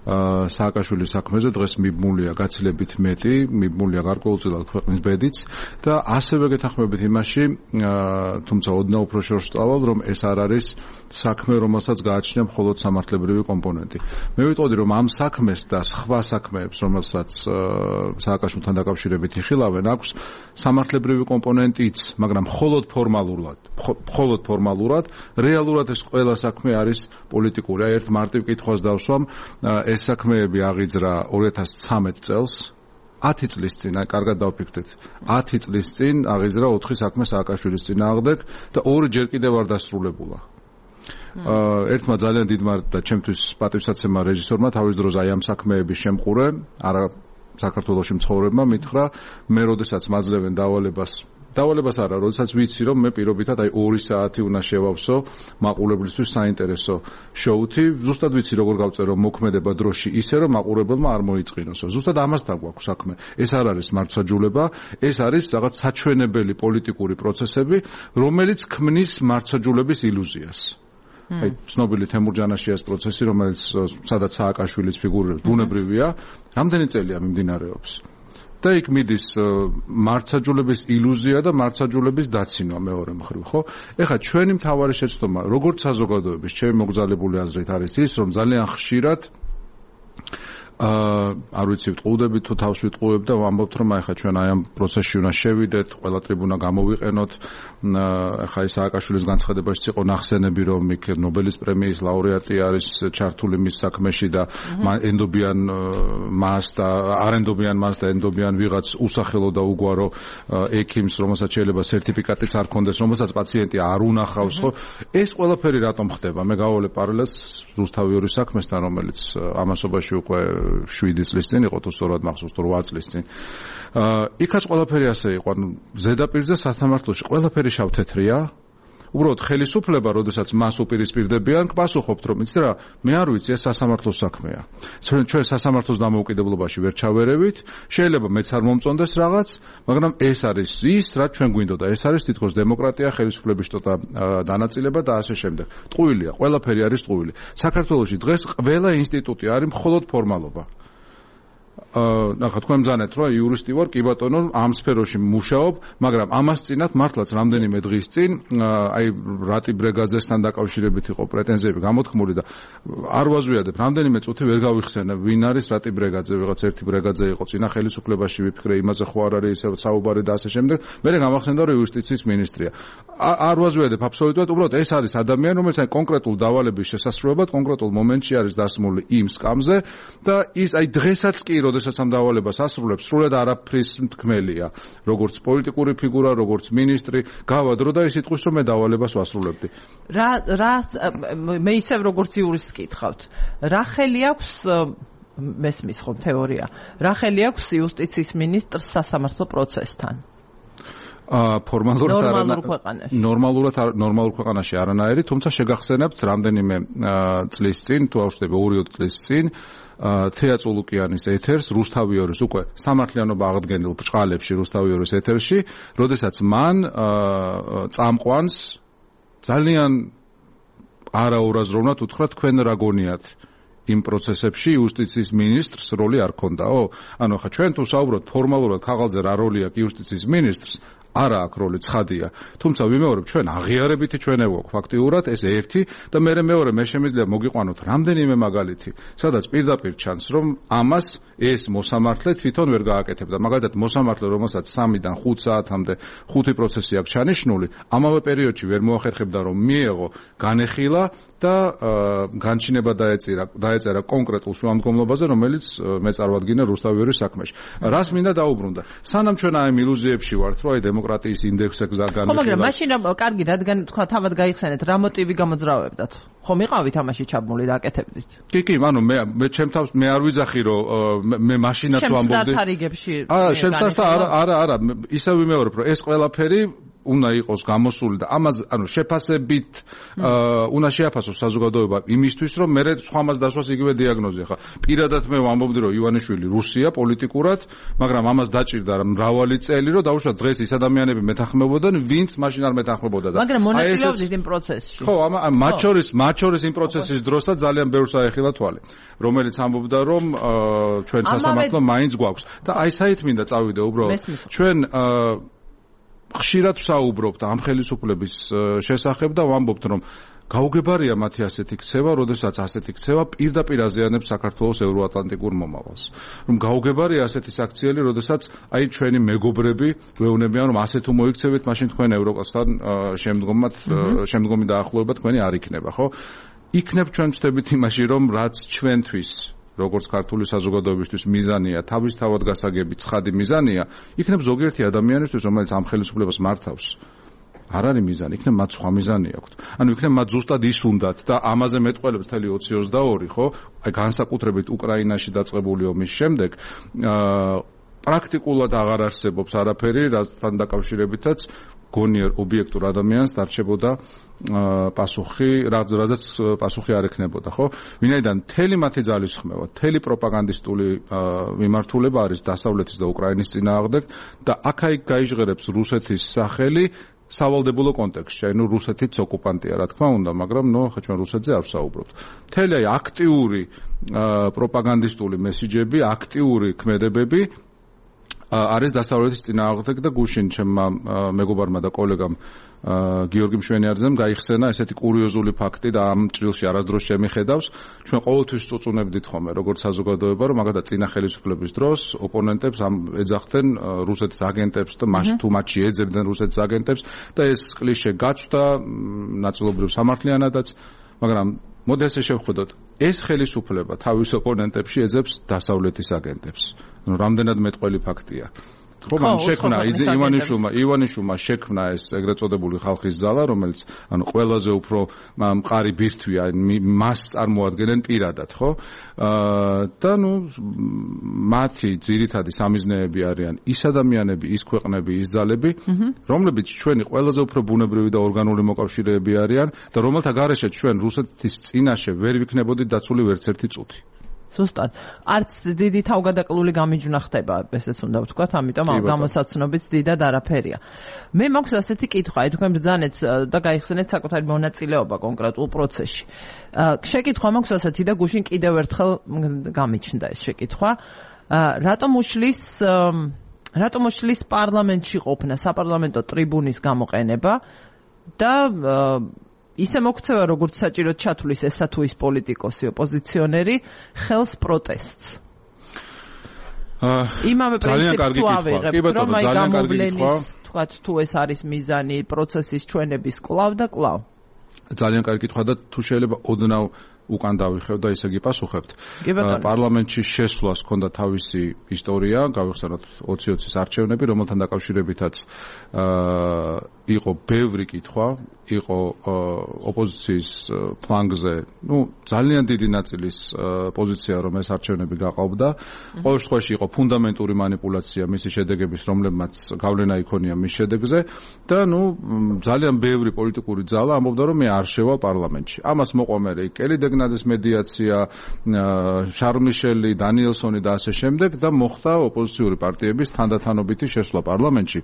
სააკაშვილის საქმეზე დღეს მიბმულია გაცილებით მეტი, მიბმულია გარკვეულწილად ქვეყნის ბედიც და ასევე გეთანხმებით იმაში, თუმცა ოდნავ უფრო შორს ვწავალ, რომ ეს არ არის საქმე, რომელსაც გააჩნია მხოლოდ სამართლებრივი კომპონენტი. მე ვიტყოდი, რომ ამ საქმეს და სხვა საქმეებს, რომელსაც სააკაშვილთან დაკავშირებით იხილავენ, აქვს სამართლებრივი კომპონენტიც, მაგრამ მხოლოდ ფორმალურად, რეალურად ეს ყველა საქმე არის პოლიტიკური. აი ერთ მარტივ კითხვას დავსვამ, ეს საქმეები აღიძრა 2013 წელს, 10 წლის წინ, აი კარგად დავფიქრდეთ, 10 წლის წინ აღიძრა 4 საქმე სააკაშვილის წინააღმდეგ და ორჯერ კიდევ არ დასრულებულა. ერთმა ძალიან დიდმა და ჩემთვის პატივსაცემა რეჟისორმა თავის დროზე აი ამ საქმეების შემყურე, არა საქართველოში მცხოვრებმა მითხრა, მე როდესაც მაძლევენ დავალებას არა, როდესაც ვიცი, რომ მე პირობითად აი 2 საათი უნდა შევავსო მაყურებლისთვის საინტერესო შოუთი, ზუსტად ვიცი როგორ გავწერო მოქმედება დროში ისე, რომ მაყურებელმა არ მოიწყინოსო. ზუსტად ამასთან გვაქვს საქმე. ეს არ არის მართლმსაჯულება, ეს არის რაღაც საჩვენებელი პოლიტიკური პროცესები, რომელიც ქმნის მართლმსაჯულების ილუზიას. აი ცნობილი თემურ ჯანაშიას პროცესი, რომელიც სადაც სააკაშვილის ფიგურებს ბუნებრივია, რამდენი წელია მიმდინარეობს. და იქ მიდის მართლმსაჯულების ილუზია და მართლმსაჯულების დაცინვა მეორე მხრივ, ხო? ეხლა ჩვენი მთავარი შეცდომა, როგორც საზოგადოების, ჩემი მოგზაურებული აზრით არის ის, რომ ძალიან ხშირად არ ვიცი, ვტყუდებით თუ თავს ვიტყუებ და ვამბობთ, რომ ახლა ჩვენ აი ამ პროცესში უნდა შევიდეთ, ყველა ტრიბუნა გამოვიყენოთ. ახლა ის სააკაშვილის განცხადებაშიც იყო ნახსენები, რომ იქ ნობელის პრემიის ლაურეატი არის ჩართული მის საქმეში და ენდობიან მას და არ ენდობიან მას და ენდობიან ვიღაც უსახელო და უგვარო ექიმს, რომელსაც შეიძლება სერტიფიკატიც არ ქონდეს, რომელსაც პაციენტი არ უნახავს, ხო? ეს ყველაფერი რატომ ხდება? მე გავალე პარალელს რუსთავიორის საქმესთან, რომელიც ამასობაში უკვე 7 წლის წინ იყო, თუ სწორად მახსოვს, 8 წლის წინ. იქაც ყველაფერი ასე იყო, ანუ ზედაპირზე სასამართლოში ყველაფერი შავთეთრია. უბრალოდ ხელისუფლება, როდესაც მას უპირისპირდებიან, პასუხობთ, რომ იცი რა, მე არ ვიცი, ეს სასამართლოს საქმეა. ჩვენ სასამართლოს დამოუკიდებლობაში ვერ ჩავერევით, შეიძლება მეც არ მომწონდეს რაღაც, მაგრამ ეს არის ის, რაც ჩვენ გვინდოდა. ეს არის თითქოს დემოკრატია, ხელისუფლების შტოტა დანაწილება და ასე შემდეგ. ტყუილია, ყველაფერი არის ტყუილი. საქართველოში დღეს ყველა ინსტიტუტი არის მხოლოდ ფორმალობა. ნახა თქვენ მზანეთ რომ იურისტი ვარ, კი ბატონო, ამ სფეროში მუშაობ, მაგრამ ამას წინათ მართლაც რამდენიმე დღის წინ აი რატი ბრეგაძესთან დაკავშირებით იყო პრეტენზიები გამოთქმული და არ ვაზვიადებ, რამდენიმე წუთი ვერ გავიხსენებ ვინ არის რატი ბრეგაძე, ვიღაც ერთი ბრეგაძე იყო წინა ხელისუფლებაში, ვიფიქრე იმაზე ხო არ არის ისე საუბარი და ასე შემდეგ. მე გამახსენდა რომ იუსტიციის მინისტრია. არ ვაზვიადებ აბსოლუტურად, უბრალოდ ეს არის ადამიანი, რომელიც აი კონკრეტულ დავალების შესასრულებლად კონკრეტულ მომენტში არის დასმული იმ სკამზე და ის აი დღესაც კი როდესაც ამ დავალებას ასრულებს, სრულად არაფრის მთქმელია, როგორც პოლიტიკური ფიგურა, როგორც მინისტრი, გავადრო და ის იტყვის, რომ მე დავალებას ვასრულებდი. მე ისევ როგორც იურისტს კითხავთ, რა ხელი აქვს მესმის ხომ თეორია, რა ხელი აქვს იუსტიციის მინისტრს სასამართლო პროცესთან? ნორმალურ ქვეყანაში არანაირი, თუმცა შეგახსენებთ რამდენიმე წლის წინ, თუ ავშტები 2 წლის წინ თეა წულუკიანის ეთერს რუსთავიორის უკვე სამართლიანობა აღდგენილ ბრჭყალებში რუსთავიორის ეთერში, როდესაც მან წამყვანს ძალიან არაურაზროვნად უთხრა, თქვენ რა გონიათ იმ პროცესებში იუსტიციის მინისტრს როლი არ ქონდაო? ანუ ხა ჩვენ თუ საუბრობთ ფორმალურად ქაღალდზე რა როლი აქვს იუსტიციის მინისტრს, არა აქვს როლი, ცხადია. თუმცა ვიმეორებ, ჩვენ აღიარებითი ჩვენება გვაქვს ფაქტიურად, ეს ერთი და მეორე მე შემიძლია მოგიყვანოთ რამდენიმე მაგალითი, სადაც პირდაპირ ჩანს, რომ ამას ეს მოსამართლე თვითონ ვერ გააკეთებდა. მაგალითად, მოსამართლე, რომელსაც 3-დან 5 საათამდე 5 პროცესი აქვს ჩანიშნული, ამავე პერიოდში ვერ მოახერხებდა, რომ მიეღო განეხილა და განჩინება დაეწერა კონკრეტულ შუამდგომლობაზე, რომელიც მე წარვადგინე რუსთავიორის საქმეში. რას მინდა დაუბრუნდა? სანამ ჩვენ აი მილუზიებში ვართ, რომ აი დემოკრატიის ინდექსზე განეხილა. ხო, მაგრამ მაშინ კარგი, რადგან თქვა თავად გაიხსენეთ, რა მოტივი გამოძრავებდათ? ხომ იყავით ამაში ჩაბმული და აკეთებდით? კი, ანუ მე ჩემ თავს მე არ ვიძახი, რომ მე მაშინაც ვამბობდი. შემსტართ არა, ისე ვიმეორებ, რომ ეს ყველაფერი უნდა იყოს გამოსული და ამას ანუ შეფასებით უნდა შეაფასოს საზოგადოება იმისთვის, რომ მე სხვამას დასვას იგივე დიაგნოზი. ხა პირადად მე ვამბობდი, რომ ივანიშვილი რუსია პოლიტიკურად, მაგრამ ამას დაჭირდა მრავალი წელი, რომ დაუშვათ დღეს ის ადამიანები მეთანხმებოდან, ვინც მაშინ არ მეთანხმებოდა და მაგრამ მონაწილეობდით იმ პროცესში. ხო, მათ შორის იმ პროცესის დროსაც ძალიან ბევრს აეხილა თვალი, რომელიც ამბობდა, რომ ჩვენ სასამართლო მაინც გვაქვს და აი საით მინდა წავიდე უბრალოდ. ჩვენ ხშირად ვსაუბრობთ ამ ხელისუფლების შესახებ და ვამბობთ, რომ გაუგებარია მათი ასეთი ქცევა, როდესაც ასეთი ქცევა პირდაპირ აზიანებს საქართველოს ევროატლანტიკურ მომავალს. რომ გაუგებარია ასეთი საქციელი, როდესაც აი ჩვენი მეგობრები ვეუბნებიან, რომ ასე თუ მოიქცევით, მაშინ თქვენ ევროპასთან შემდგომი დაახლოება თქვენი არ იქნება, ხო? იქნებ ჩვენ ვწდებით იმაში, რომ რაც ჩვენთვის როგორც ქართული საზოგადოებისთვის მიზანია, თავისთავად გასაგები ცხადი მიზანია, იქნებ ზოგიერთი ადამიანისთვის, რომელიც ამ ხელისუფლებას მართავს, არ არის მიზანი, იქნებ მათ სხვა მიზანი აქვთ. ანუ იქნებ მათ ზუსტად ის უნდათ და ამაზე მეტყველებს მთელი 2022, ხო? აი განსაკუთრებით უკრაინაში დაწყებული ომის შემდეგ პრაქტიკულად აღარ არსებობს არაფერი, რასთან დაკავშირებითაც გონიერ ობიექტურ ადამიანს დარჩებოდა პასუხი, რაზეც პასუხი არ ექნებოდა, ხო? ვინაიდან მთელი მათი ძალისხმევა, მთელი პროპაგანდისტული მიმართულება არის დასავლეთის და უკრაინის წინააღმდეგ და აქ-იქ გაიჟღერებს რუსეთის სახელი სავალდებულო კონტექსტში, ანუ რუსეთიც ოკუპანტია, რა თქმა უნდა, მაგრამ ხა ჩვენ რუსეთზე არ ვსაუბრობთ. მთელი აი აქტიური პროპაგანდისტული მესიჯები, აქტიური ქმედებები არის დასავლეთის წინააღმდეგ და გუშინ ჩემმა მეგობარმა და კოლეგამ გიორგი მშვენიარძემ გაიხსენა ესეთი კურიოზული ფაქტი და ამ ჭრილში არასდროს შემიხედავს ჩვენ ყოველთვის წუწუნებდით ხოლმე როგორც საზოგადოება რომ მაგათა წინა ხელისუფლების დროს ოპონენტებს ეძახდნენ რუსეთის აგენტებს და თუ მათში ეძებდნენ რუსეთის აგენტებს და ეს კლიშე გაცვდა ნაწილობრივ სამართლიანადაც მაგრამ მოდი ასე შევხედოთ ეს ხელისუფლება თავის ოპონენტებში ეძებს დასავლეთის აგენტებს ну რამდენად მეტყველი ფაქტია ხო მან შექმნა ივანიშვილმა შექმნა ეს ეგრეთ წოდებული ხალხის ზალა რომელიც ანუ ყველაზე უფრო მყარი ბირთვია მას წარმოადგენენ პირადად ხო და ну მათი ძირითადი სამიზნეები არიან ის ადამიანები ის ქვეყნები ის ძალები რომლებიც ჩვენი ყველაზე უფრო ბუნებრივი და ორგანული მოკავშირეები არიან და რომელთა გარეშე ჩვენ რუსეთის წინაშე ვერ ვიქნებოდით დაცული ვერც ერთი წუთი ზუსტად არც დიდი თავგადაკლული გამიჯვნა ხდება ესეც უნდა ვთქვათ ამიტომ გამოსაცნობიც დიდად არაფერია მე მაქვს ასეთი კითხვა აი თქვენ ბრძანეთ და გაიხსენეთ საკუთარი მონაწილეობა კონკრეტულ პროცესში შეკითხვა მაქვს ასეთი და გუშინ კიდევ ერთხელ გამიჩნდა ეს შეკითხვა რატომ უშლის პარლამენტში ყოფნა საპარლამენტო ტრიბუნის გამოყენება და ისე მოქცევა როგორც საჭიროდ ჩათვლის ესა თუ ის პოლიტიკოსი ოპოზიციონერი ხელს პროტესტს იმავე პრინციპს თუ ავიღებთ რომ აი გამოვლენის თქვათ თუ ეს არის მიზანი პროცესის ჩვენების კვლავ და კვლავ ძალიან კარგი კითხვა და თუ შეიძლება ოდნავ უკან დავიხევ და ისე გიპასუხებთ პარლამენტში შესვლას ჰქონდა თავისი ისტორია გავიხსენოთ 2020-ის არჩევნები რომელთან დაკავშირებითაც იყო ბევრი კითხვა იყო ოპოზიციის ფლანგზე ну ძალიან დიდი ნაწილის პოზიცია რომ ეს არჩევნები გაყავდა ყოველ შემთხვევაში იყო ფუნდამენტური манипуляცია მისი შედეგების რომლებმაც გავლენა იქონია მის შედეგზე და ну ძალიან ბევრი პოლიტიკური ძალა ამბობდა რომ მე არ შევალ პარლამენტში ამას მოყვა მე კელი დეგნაძის მედიაცია შარლ მიშელი დანიელსონი და ასე შემდეგ და მოხდა ოპოზიციური პარტიების თანდათანობითი შესვლა პარლამენტში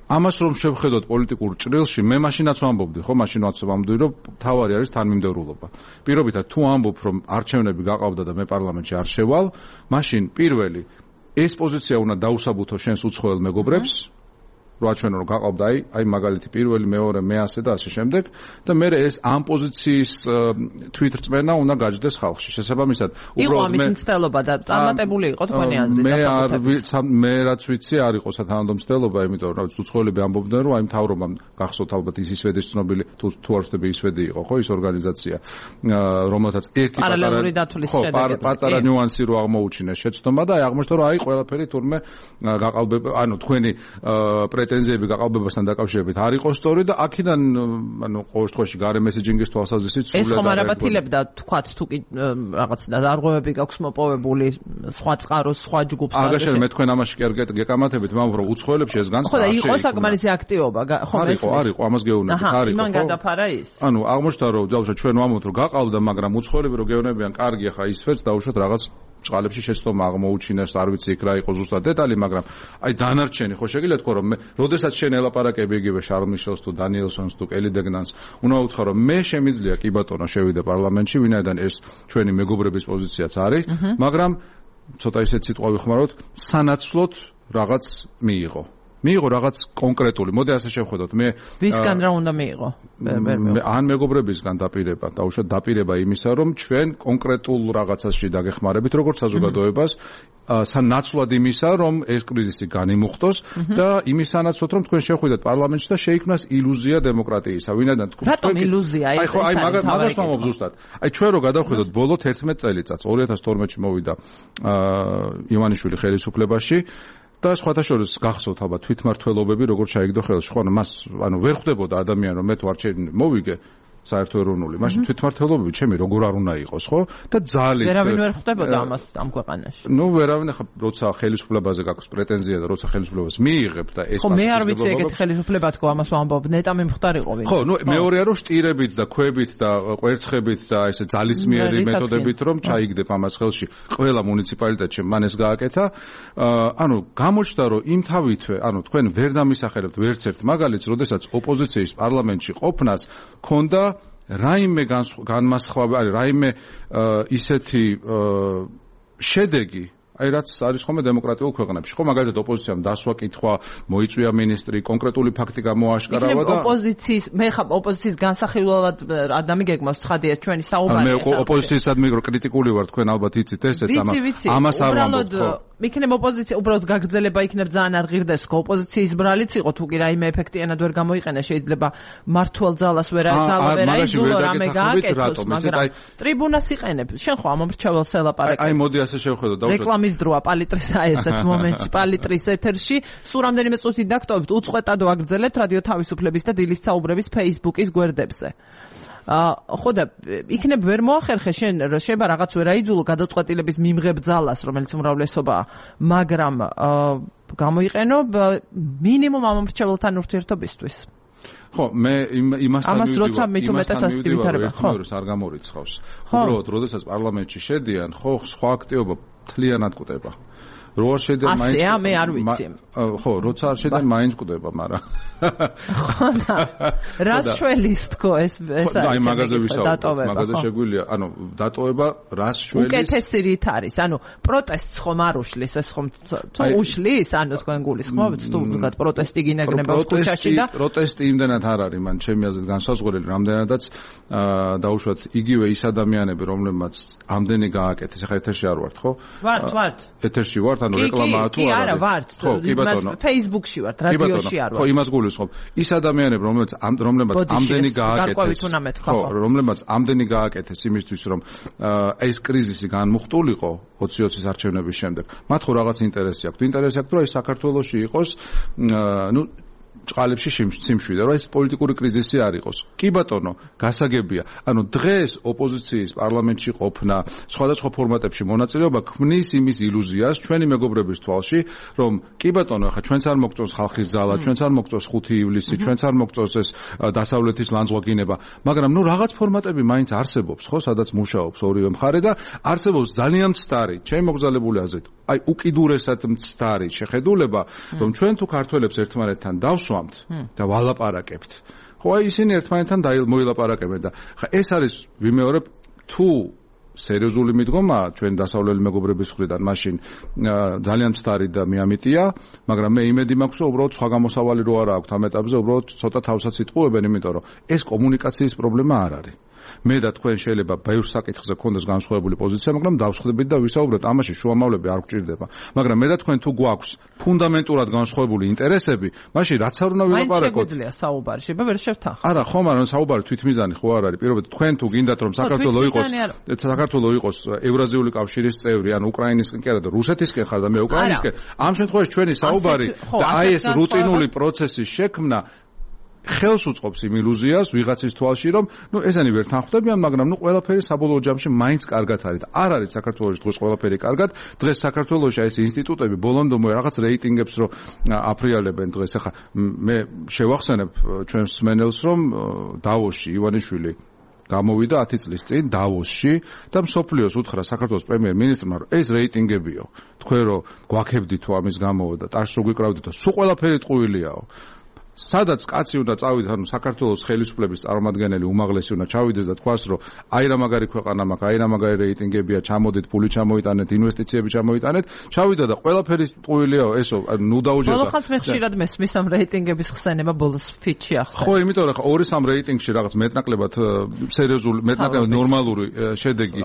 ამას რომ შევხედოთ პოლიტიკურ ჭრილში მე მაშინაც ვამბობდი ხო მაშინაც ვამბობდი რომ თავარი არის თანმიმდევრულობა პირობითად თუ ამბობ რომ არჩევნები გაყავდა და მე პარლამენტში არ შევალ მაშინ პირველი ეს პოზიცია უნდა დაუსაბუთო შენს უცხოელ მეგობრებს რო აჩვენო რომ გაყავდა აი მაგალითი პირველი მეორე მე-100 და ასე შემდეგ და მე ეს ამ პოზიციის თვითრწმენა უნდა გაჯდეს ხალხში შესაბამისად იყო ამის მცდელობა და წარმატებული იყო თქვენი აზრით მე რაც ვიცი არ იყო სათანადო მცდელობა იმიტომ რომ უცხოელები ამბობდნენ რომ აი მთავრობამ გახსოვთ albათ ის ისვედის ცნობილი თუ არ ვთქვი ისვედი იყო ხო ის ორგანიზაცია რომელსაც ერთი პატარა ნიუანსი რო აღმოუჩინეს შეცდომა და აი აღმოჩნდა რომ აი ყველაფერი თურმე გაყალბება ანუ თქვენი პრეტენზიები გაყალბებასთან დაკავშირებით არ იყო სწორი და აქედან ანუ ყოველ შემთხვევაში გარე მესეჯინგის თვალსაზრისით სულ ეს ხომ არაბათილებდა თქვათ თუ კი რაღაც დარღვევები გაქვს მოპოვებული სხვა წყაროს სხვა ჯგუფს აგაშენ მე თქვენ ამაში კი არ გეკამათებით მაგრამ რომ უცხოელებში ეს განსხვავება ხო და იყო საკმარისი აქტივობა ხო არის ამას გეუბნებით არის იმან გადაფარა ის ანუ აღმოჩნდა რომ დავუშვათ ჩვენ ვამბობთ რომ გაყავდა მაგრამ უცხოელები რო გეუბნებიან კარგი ხა ისვეც დავუშვათ რაღაც ჭყალებში შეცდომა აღმოუჩინეს არ ვიცი იქ რა იყო ზუსტად დეტალი მაგრამ აი დანარჩენი ხო შეგიძლიათ თქო რომ მე როდესაც შენ ელაპარაკები იგივე შარლ მიშელს თუ დანიელსონს თუ კელი დეგნანს უნდა უთხრა რომ მე შემიძლია კი ბატონო შევიდე პარლამენტში ვინაიდან ეს ჩვენი მეგობრების პოზიციაც არის მაგრამ ცოტა ისეთ სიტყვა ვიხმაროთ სანაცვლოდ რაღაც მიიღო რაღაც კონკრეტული. მოდი ასე შევხედოთ. მე ვისგან რა უნდა მიიღო? ან მეგობრებისგან დაპირება, დაუშვათ დაპირება იმისა, რომ ჩვენ კონკრეტულ რაღაცაში დაგეხმარებით, როგორც საზოგადოებას, სანაცვლად იმისა, რომ ეს კრიზისი განიმუხტოს და იმის სანაცვლოდ, რომ თქვენ შევხვიდეთ პარლამენტში და შეიქმნას ილუზია დემოკრატიისა. ვინაიდან თქვენ რატომ ილუზია? აი ხო, აი მაგას ვამბობ ზუსტად. აი ჩვენ რო გადავხედოთ ბოლო 11 წელიწადს, 2012-ში მოვიდა ივანიშვილი ხელისუფლებაში და სხვათა შორის გახსოვთ ალბათ თვითმმართველობები როგორ ჩაიგდო ხელში. ხო, მას ანუ ვერ ხვდებოდა ადამიანი რომ მე თუ არჩევნები მოვიგე საერთო ეროვნული. მაშინ თვითმმართველობები ჩემი როგორ არ უნდა იყოს, ხო? და ძალით ვერავინ ვერ ხვდებოდა ამას ამ ქვეყანაში. ნუ ვერავინ ახლა როცა ხელისუფლებაზე გაქვს პრეტენზია და როცა ხელისუფლებას მიიღებ და ეს ხო მე არ ვიცი ეგეთი ხელისუფლება თქო ამას ვამბობ ნეტა მიმხდარიყო ვინ. ხო, ნუ მეორეა რომ შტირებით და ქვებით და კვერცხებით და ესე ძალისმიერი მეთოდებით რომ ჩაიგდებ ამას ხელში ყველა მუნიციპალიტეტში მან ეს გააკეთა. ანუ გამოჩნდა რომ იმ თავითვე, ანუ თქვენ ვერ დამისახერებთ ვერც ერთ მაგალითს, როდესაც ოპოზიციის პარლამენტში ყოფნას ქონდა რაიმე განმასხვავებელი, რაიმე ისეთი შედეგი აი რაც არის ხოლმე დემოკრატიულ ქვეყნებში. ხო, მაგალითად ოპოზიციამ დასვა კითხვა, მოიწვია მინისტრი, კონკრეტული ფაქტი გამოაშკარავა და მე ხა ოპოზიციის განსახილველად ადამი გეგმავს ცხადია ჩვენი საუბარი. მე ოპოზიციისადმი კრიტიკული ვარ, თქვენ ალბათ იცით ესეც ამას არ ვამბობთ. იქნებ ოპოზიცია უბრალოდ გაგრძელება იქნებ ძალიან არ ღირდეს ხო ოპოზიციის ბრალიც იყო თუ კი რაიმე ეფექტიანად ვერ გამოიყენა შეიძლება მართვალ ძალას ვერ აიძულო რამე გააკეთოს მაგრამ ტრიბუნას იყენებ შენ ხო ამომრჩეველს ელაპარაკებ აი მოდი ასე შევხედოთ დავუშვათ რეკლამის დროა პალიტრის ესეც მომენტში პალიტრის ეთერში სულ რამდენიმე წუთი დაგტოვებთ უწყვეტად ვაგრძელებთ რადიო თავისუფლების და დილის საუბრების Facebook-ის გვერდებზე ხო და იქნებ ვერ მოახერხე შენ შეიძლება რაღაც ვერ აიძულო გადაწყვეტილების მიმღებ ძალას რომელიც უმრავლესობაა მაგრამ გამოიყენო მინიმუმ ამომრჩეველთან ურთიერთობისთვის ხო მე იმასთან მივიდივარ ხო არ გამორიცხავს უბრალოდ როდესაც პარლამენტში შედიან ხო სხვა აქტივობა მთლიანად კვდება რო არ შედიან მაინც მე არ ვიცი ხო როცა არ შედიან მაინც კვდება მაგრამ ხო და რას შველის თქო ეს აი მაგაზე ვისაუბრებ მაგაზე შეგვიძლია ანუ დატოვება რას შველის უკეთესი რით არის ანუ პროტესტს ხომ არ უშლის ეს ხომ თუ უშლის ანუ თქვენ გულისხმობთ თუ ვიღაც პროტესტი გინაგნება ქუჩაში და პროტესტი იმდენად არ არის მან ჩემი აზრით განსაზღვრელი რამდენადაც დაუშვათ იგივე ის ადამიანები რომლებმაც ამდენი გააკეთეს ახლა ეთერში არ ვართ ხო ვართ ეთერში ვართ ანუ რეკლამაა თუ არ არა ვართ Facebook-ში ვართ რადიოში არ ვართ ხო იმას გულისხმობ ის ადამიანები რომლებმაც ამდენი გააკეთეს ხო რომლებმაც ამდენი გააკეთეს იმისთვის რომ ეს კრიზისი განმუხტულიყო 2020-ის არჩევნების შემდეგ მათ ხო რაღაც ინტერესი აქვს ინტერესი აქვს რომ ეს საქართველოში იყოს ნუ წყალებში სიმშვიდე რომ ეს პოლიტიკური კრიზისი არ იყოს კი ბატონო გასაგებია ანუ დღეს ოპოზიციის პარლამენტში ყოფნა სხვადასხვა ფორმატებში მონაწილეობა ქმნის იმის ილუზიას ჩვენი მეგობრების თვალში რომ კი ბატონო ახლა ჩვენც არ მოგწონს ხალხის ძალა ჩვენც არ მოგწონს 5 ივლისი ჩვენც არ მოგწონს ეს დასავლეთის ლანძღვაგინება მაგრამ ნუ რაღაც ფორმატები მაინც არსებობს ხო სადაც მუშაობს ორივე მხარე და არსებობს ძალიან მცდარი ჩემი მოგზაურებული აზრით აი უკიდურესად მცდარი შეხედულება რომ ჩვენ თუ ქართველებს ერთმანეთთან დავსვამთ და ვალაპარაკებთ ხო აი ისინი ერთმანეთთან მოილაპარაკებენ და ხა ეს არის ვიმეორებ თუ სერიოზული მიდგომაა ჩვენ დასავლელი მეგობრების მხრიდან მაშინ ძალიან მცდარი და მეამიტია მაგრამ მე იმედი მაქვს რომ უბრალოდ სხვა გამოსავალი რო არა აქვს ამ ეტაპზე უბრალოდ ცოტა თავსაც იტყუებენ იმიტომ რომ ეს კომუნიკაციის პრობლემა არ არის მე და თქვენ შეიძლება ბევრ საკითხზე გქონდეს განსხვავებული პოზიცია, მაგრამ დავსხვდებით და ვისაუბრებთ, ამაში შუამავლები არ გვჭირდება. მაგრამ მე და თქვენ თუ გვაქვს ფუნდამენტურად განსხვავებული ინტერესები, მაშინ რაც არ უნდა ვილაპარაკოთ. მაინც შეგვიძლია საუბარი, შეიძლება ვერ შევთანხმდეთ. არა, ხომ არა, საუბარი თვითმიზანი ხო არ არის. პირობითად თქვენ თუ გინდათ რომ საქართველოს იყოს ევრაზიული კავშირის წევრი, ან უკრაინისკენ კი არა და რუსეთისკენ ხარ და მე უკრაინისკენ, ამ შემთხვევაში ჩვენი საუბარი და აი ეს რუტინული პროცესის შექმნა ხელს უწყობს იმ ილუზიას ვიღაცის თვალში რომ ნუ ესენი ვერ თანხმდებიან მაგრამ ნუ ყველაფერი საბოლოო ჯამში მაინც კარგად არის და არ არის საქართველოში დღეს ყველაფერი კარგად დღეს საქართველოში ეს ინსტიტუტები ბოლომდე რაღაც რეიტინგებს რო აფრიალებენ დღეს ახლა მე შევახსენებ ჩვენს მსმენელს რომ დავოსში ივანიშვილი გამოვიდა 10 წლის წინ დავოსში და მსოფლიოს უთხრა საქართველოს პრემიერ-მინისტრმა რომ ეს რეიტინგებიო თქვენ რო გვაქებდით თუ ამის გამო და ტაშს რო გვიკრავდით და სულ ყველაფერი ტყუილიაო სადაც კაცი უნდა წავიდეს, ანუ საქართველოს ხელისუფლების წარმომადგენელი უმაღლესი უნდა ჩავიდეს და თქვას, რომ აი რა მაგარი ქვეყანა მაქვს, აი რა მაგარი რეიტინგებია, ჩამოდით, ფული ჩამოიტანეთ, ინვესტიციები ჩამოიტანეთ, ჩავიდა და ყველაფერი ტყუილიაო, ესო, ნუ დაუჯერდა. ბოლოს მე ხშირად მესმის ამ რეიტინგების ხსენება ბოლოს ფიჩი ახლა. ხო, იმიტომ რომ 2-3 რეიტინგში რაღაც მეტნაკლებად სერიოზული, მეტნაკლებად ნორმალური შედეგი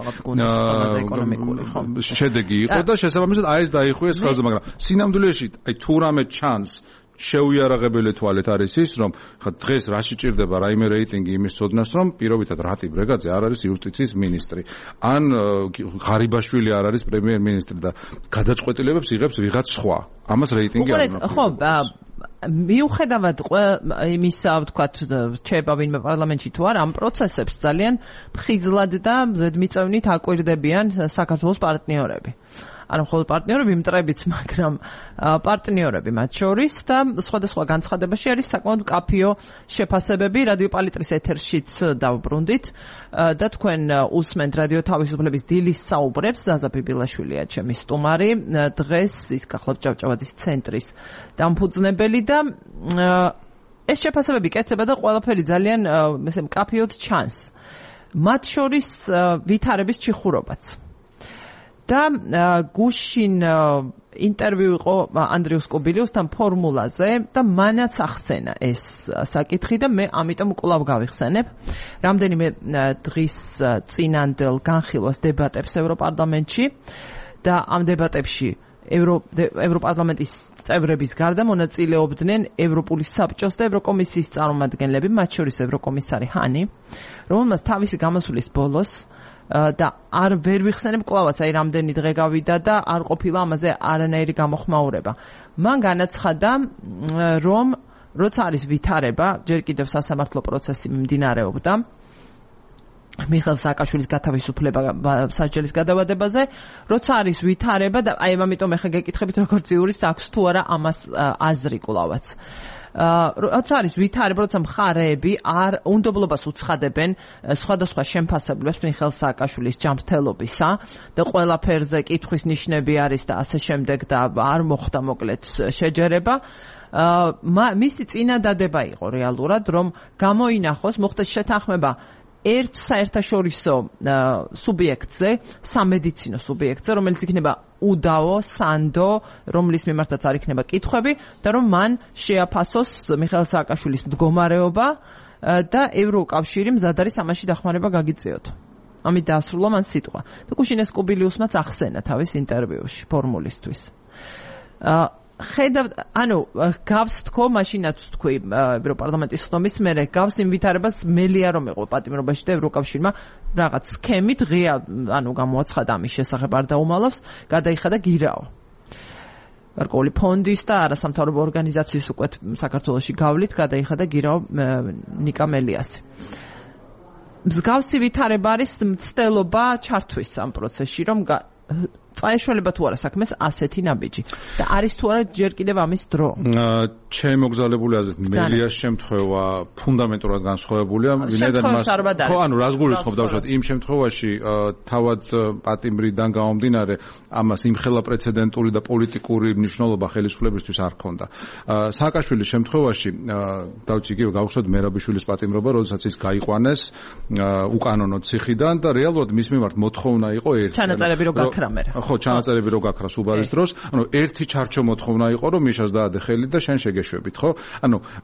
შედეგი იყო და შესაბამისად აი ეს დაიხუეს ხალხზე, მაგრამ სინამდვილეში აი თუ რამე ჩანს შეუიარაღებელი თვალეთ არის ის, რომ ხა დღეს რაში ჭირდება რაიმე რეიტინგი იმის ცოდნას, რომ პირობითად რატი ბრეგაძე არ არის იუსტიციის მინისტრი, ან ღარიბაშვილი არ არის პრემიერ-მინისტრი და გადაწყვეტილებებს იღებს ვიღაც სხვა. ამას რეიტინგი არ უნდა. ხო, მიუხედავად იმისა, ვთქვათ, რჩება ვინმე პარლამენტში თუ არა, ამ პროცესებს ძალიან ფხიზლად და ზედმიწევნით აკვირდებიან საქართველოს პარტნიორები. ანუ მხოლოდ პარტნიორები მტრებიც, მაგრამ პარტნიორები მათ შორის და სხვადასხვა განცხადებაში არის საკმაოდ მკაფიო შეფასებები რადიო პალიტრის ეთერშიც დავბრუნდით და თქვენ უსმენთ რადიო თავისუფლების დილის საუბრებს ზაზა ბიბილაშვილია ჩემი სტუმარი დღეს ის გახლავთ ჭავჭავაძის ცენტრის დამფუძნებელი და ეს შეფასებები კეთდება და ყველაფერი ძალიან ესე მკაფიოდ ჩანს მათ შორის ვითარების ჩიხურობაც და გუშინ ინტერვიუ იყო ანდრიუს კობილიუსთან ფორმულაზე და მანაც ახსენა ეს საკითხი და მე ამიტომ კვლავ გავიხსენებ. რამდენიმე დღის წინანდელ განხილვას დებატებს ევროპარლამენტში და ამ დებატებში ევროპარლამენტის წევრების გარდა მონაწილეობდნენ ევროპული საბჭოს და ევროკომისიის წარმომადგენლები, მათ შორის ევროკომისარი ჰანი, რომელმაც თავისი გამოსვლის ბოლოს და არ ვერ ვიხსენებ კლავაც, აი რამდენი დღე გავიდა და არ ყოფილა ამაზე არანაირი გამოხმაურება. მან განაცხადა, რომ როცა არის ვითარება, ჯერ კიდევ სასამართლო პროცესი მიმდინარეობდა მიხეილ სააკაშვილის გათავისუფლება სასჯელის გადავადებაზე, როცა არის ვითარება და აი ამიტომ ახლა გეკითხებით როგორც იურისტს აქვს თუ არა ამას აზრი კლავაც. როცა არის ვითარება, როცა მხარეები არ უნდობლობას უცხადებენ სხვადასხვა შემფასებლებს მიხეილ სააკაშვილის ჯანმრთელობისა და ყველაფერზე კითხვის ნიშნები არის და ასე შემდეგ და არ მოხდა მოკლედ შეჯერება. მისი წინადადება იყო რეალურად, რომ გამოინახოს, მოხდეს შეთანხმება ერთ საერთაშორისო სუბიექტზე, სამედიცინო სუბიექტზე, რომელიც იქნება უდაო, სანდო, რომლის მიმართაც არ იქნება კითხვები და რომ მან შეაფასოს მიხეილ სააკაშვილის მდგომარეობა და ევროკავშირი მზად არის ამაში დახმარება გაგიწიოთ. ამით დაასრულა მან სიტყვა. და გუშინეს კობილიუსმაც ახსენა თავის ინტერვიუში ფორმულისთვის. გავს თქო, მაშინაც თქვი ევროპარლამენტის ხდომის მერე, გავს იმ ვითარებას მელია რომ იყო პატიმრობაში და ევროკავშირმა რაღაც სქემით ღია, გამოაცხადა ამის შესახებ არ დაუმალავს, გადაიხადა გირაო. გარკვეული ფონდის და არასამთავრობო ორგანიზაციის უკვე საქართველოში გავლით გადაიხადა გირაო ნიკა მელიასი. მსგავსი ვითარება არის მცდელობა ჩართვის ამ პროცესში, რომ წაეშველება თუ არა საქმეს ასეთი ნაბიჯი და არის თუ არა ჯერ კიდევ ამის დრო. ჩემი მოგზაურებული აზრით მელიას შემთხვევა ფუნდამენტურად განსხვავებულია. ვინაიდან მას რას გულისხმობ დავუშვათ იმ შემთხვევაში თავად პატიმრიდან გამომდინარე ამას იმხელა პრეცედენტული და პოლიტიკური მნიშვნელობა ხელისუფლებისთვის არ ჰქონდა. სააკაშვილის შემთხვევაში დავით იგივე გავხსოვთ მერაბიშვილის პატიმრობა, როდესაც ის გაიყვანეს უკანონო ციხიდან და რეალურად მის მიმართ მოთხოვნა იყო ერთი. ჩანაწერები რო გაქრა მე. ხო, ჩანაწერები რო გაქრა სუბარის დროს, ერთი ჩარჩო მოთხოვნა იყო, რომ მიშას დაადე ხელი და შენ შეგეშვებით, ხო?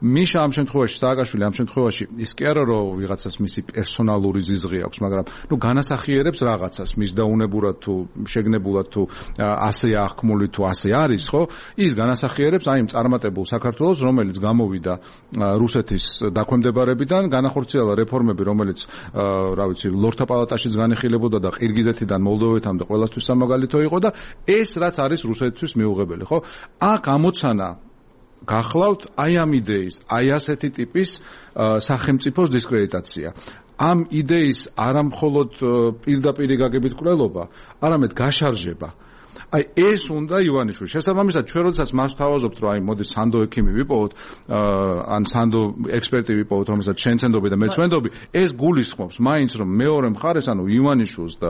მიშა ამ შემთხვევაში, სააკაშვილი ამ შემთხვევაში ის კი არა, რომ ვიღაცას მისი პერსონალური ზიზღი აქვს, მაგრამ განასახიერებს რაღაცას, მის დაუნებურად თუ შეგნებულად თუ ასეა აღქმული თუ ასე არის, ხო? ის განასახიერებს აი იმ წარმატებულ საქართველოს, რომელიც გამოვიდა რუსეთის დაქვემდებარებიდან, განახორციელა რეფორმები, რომელიც ლორდთა პალატაშიც განიხილებოდა და ყირგიზეთიდან მოლდოვეთამდე ყველასთვის სამაგალითო იყო და ეს რაც არის რუსეთთვის მიუღებელი, ხო? აქ ამოცანა გახლავთ აი ამ იდეის, აი ასეთი ტიპის სახელმწიფოს დისკრედიტაცია. ამ იდეის არამხოლოდ პირდაპირი გაგებით კვლელობა, არამედ გაშარჟება. აი ეს უნდა ივანიშვილი. შესაბამისად, ჩვენ როდესაც მას თავაზობთ, რომ აი მოდი სანდო ექიმი ვიპოვოთ, ან სანდო ექსპერტი ვიპოვოთ, რომელსაც შენ ცენდობი და მე ცვენდობი, ეს გულისხმობს მაინც რომ მეორე მხარეს, ივანიშვილს და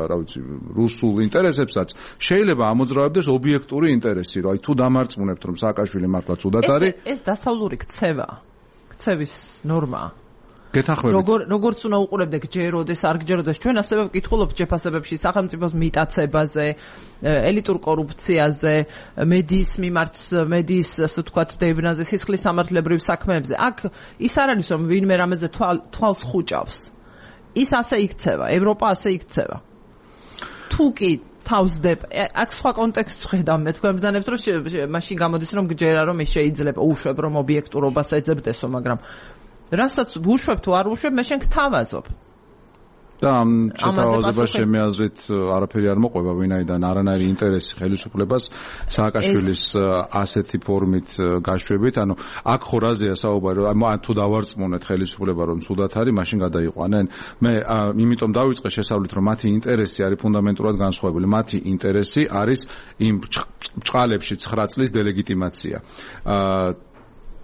რუსულ ინტერესებსაც შეიძლება ამოძრავებდეს ობიექტური ინტერესი, რომ აი თუ დამარწმუნებთ, რომ სააკაშვილი მართლა ცუდად არის, ეს დასავლური ქცევის ნორმაა. გეთანხმებით. როგორც უნდა უყურებდე გჯეროდეს, არ გჯეროდეს, ჩვენ ასევე ვკითხულობთ შეფასებებში სახელმწიფოს მიტაცებაზე, ელიტურ კორუფციაზე, მედიის მიმართ, მედიის ასე ვთქვათ, დევნაზე, სისხლის სამართლებრივ საქმეებზე. აქ ის არ არის რომ ვინმე რამეზე თვალს ხუჭავს. ის ასე იქცევა, ევროპა ასე იქცევა. თუ კი თავს დებ, აქ სხვა კონტექსტს ხედავ მე თქვენ ბრძანებთ რომ მაშინ გამოდის რომ გჯერა რომ ეს შეიძლება უშვებ რომ ობიექტურობას ეძებდესო, მაგრამ რასაც ვუშვებ თუ არ ვუშვებ, მე შენ გთავაზობ. და ამ შეთავაზებას ჩემი აზრით არაფერი არ მოყვება, ვინაიდან არანაირი ინტერესი ხელისუფლებას სააკაშვილის ასეთი ფორმით გაშვებით, აქ ხო რაზეა საუბარი, ან თუ დავარწმუნეთ ხელისუფლება რომ ცუდად არის, მაშინ გადაიყვანენ. მე იმიტომ დავიწყე შესავლით, რომ მათი ინტერესი არის ფუნდამენტურად განსხვავებული. მათი ინტერესი არის იმ ბჭყალებში 9 წლის დელეგიტიმაცია.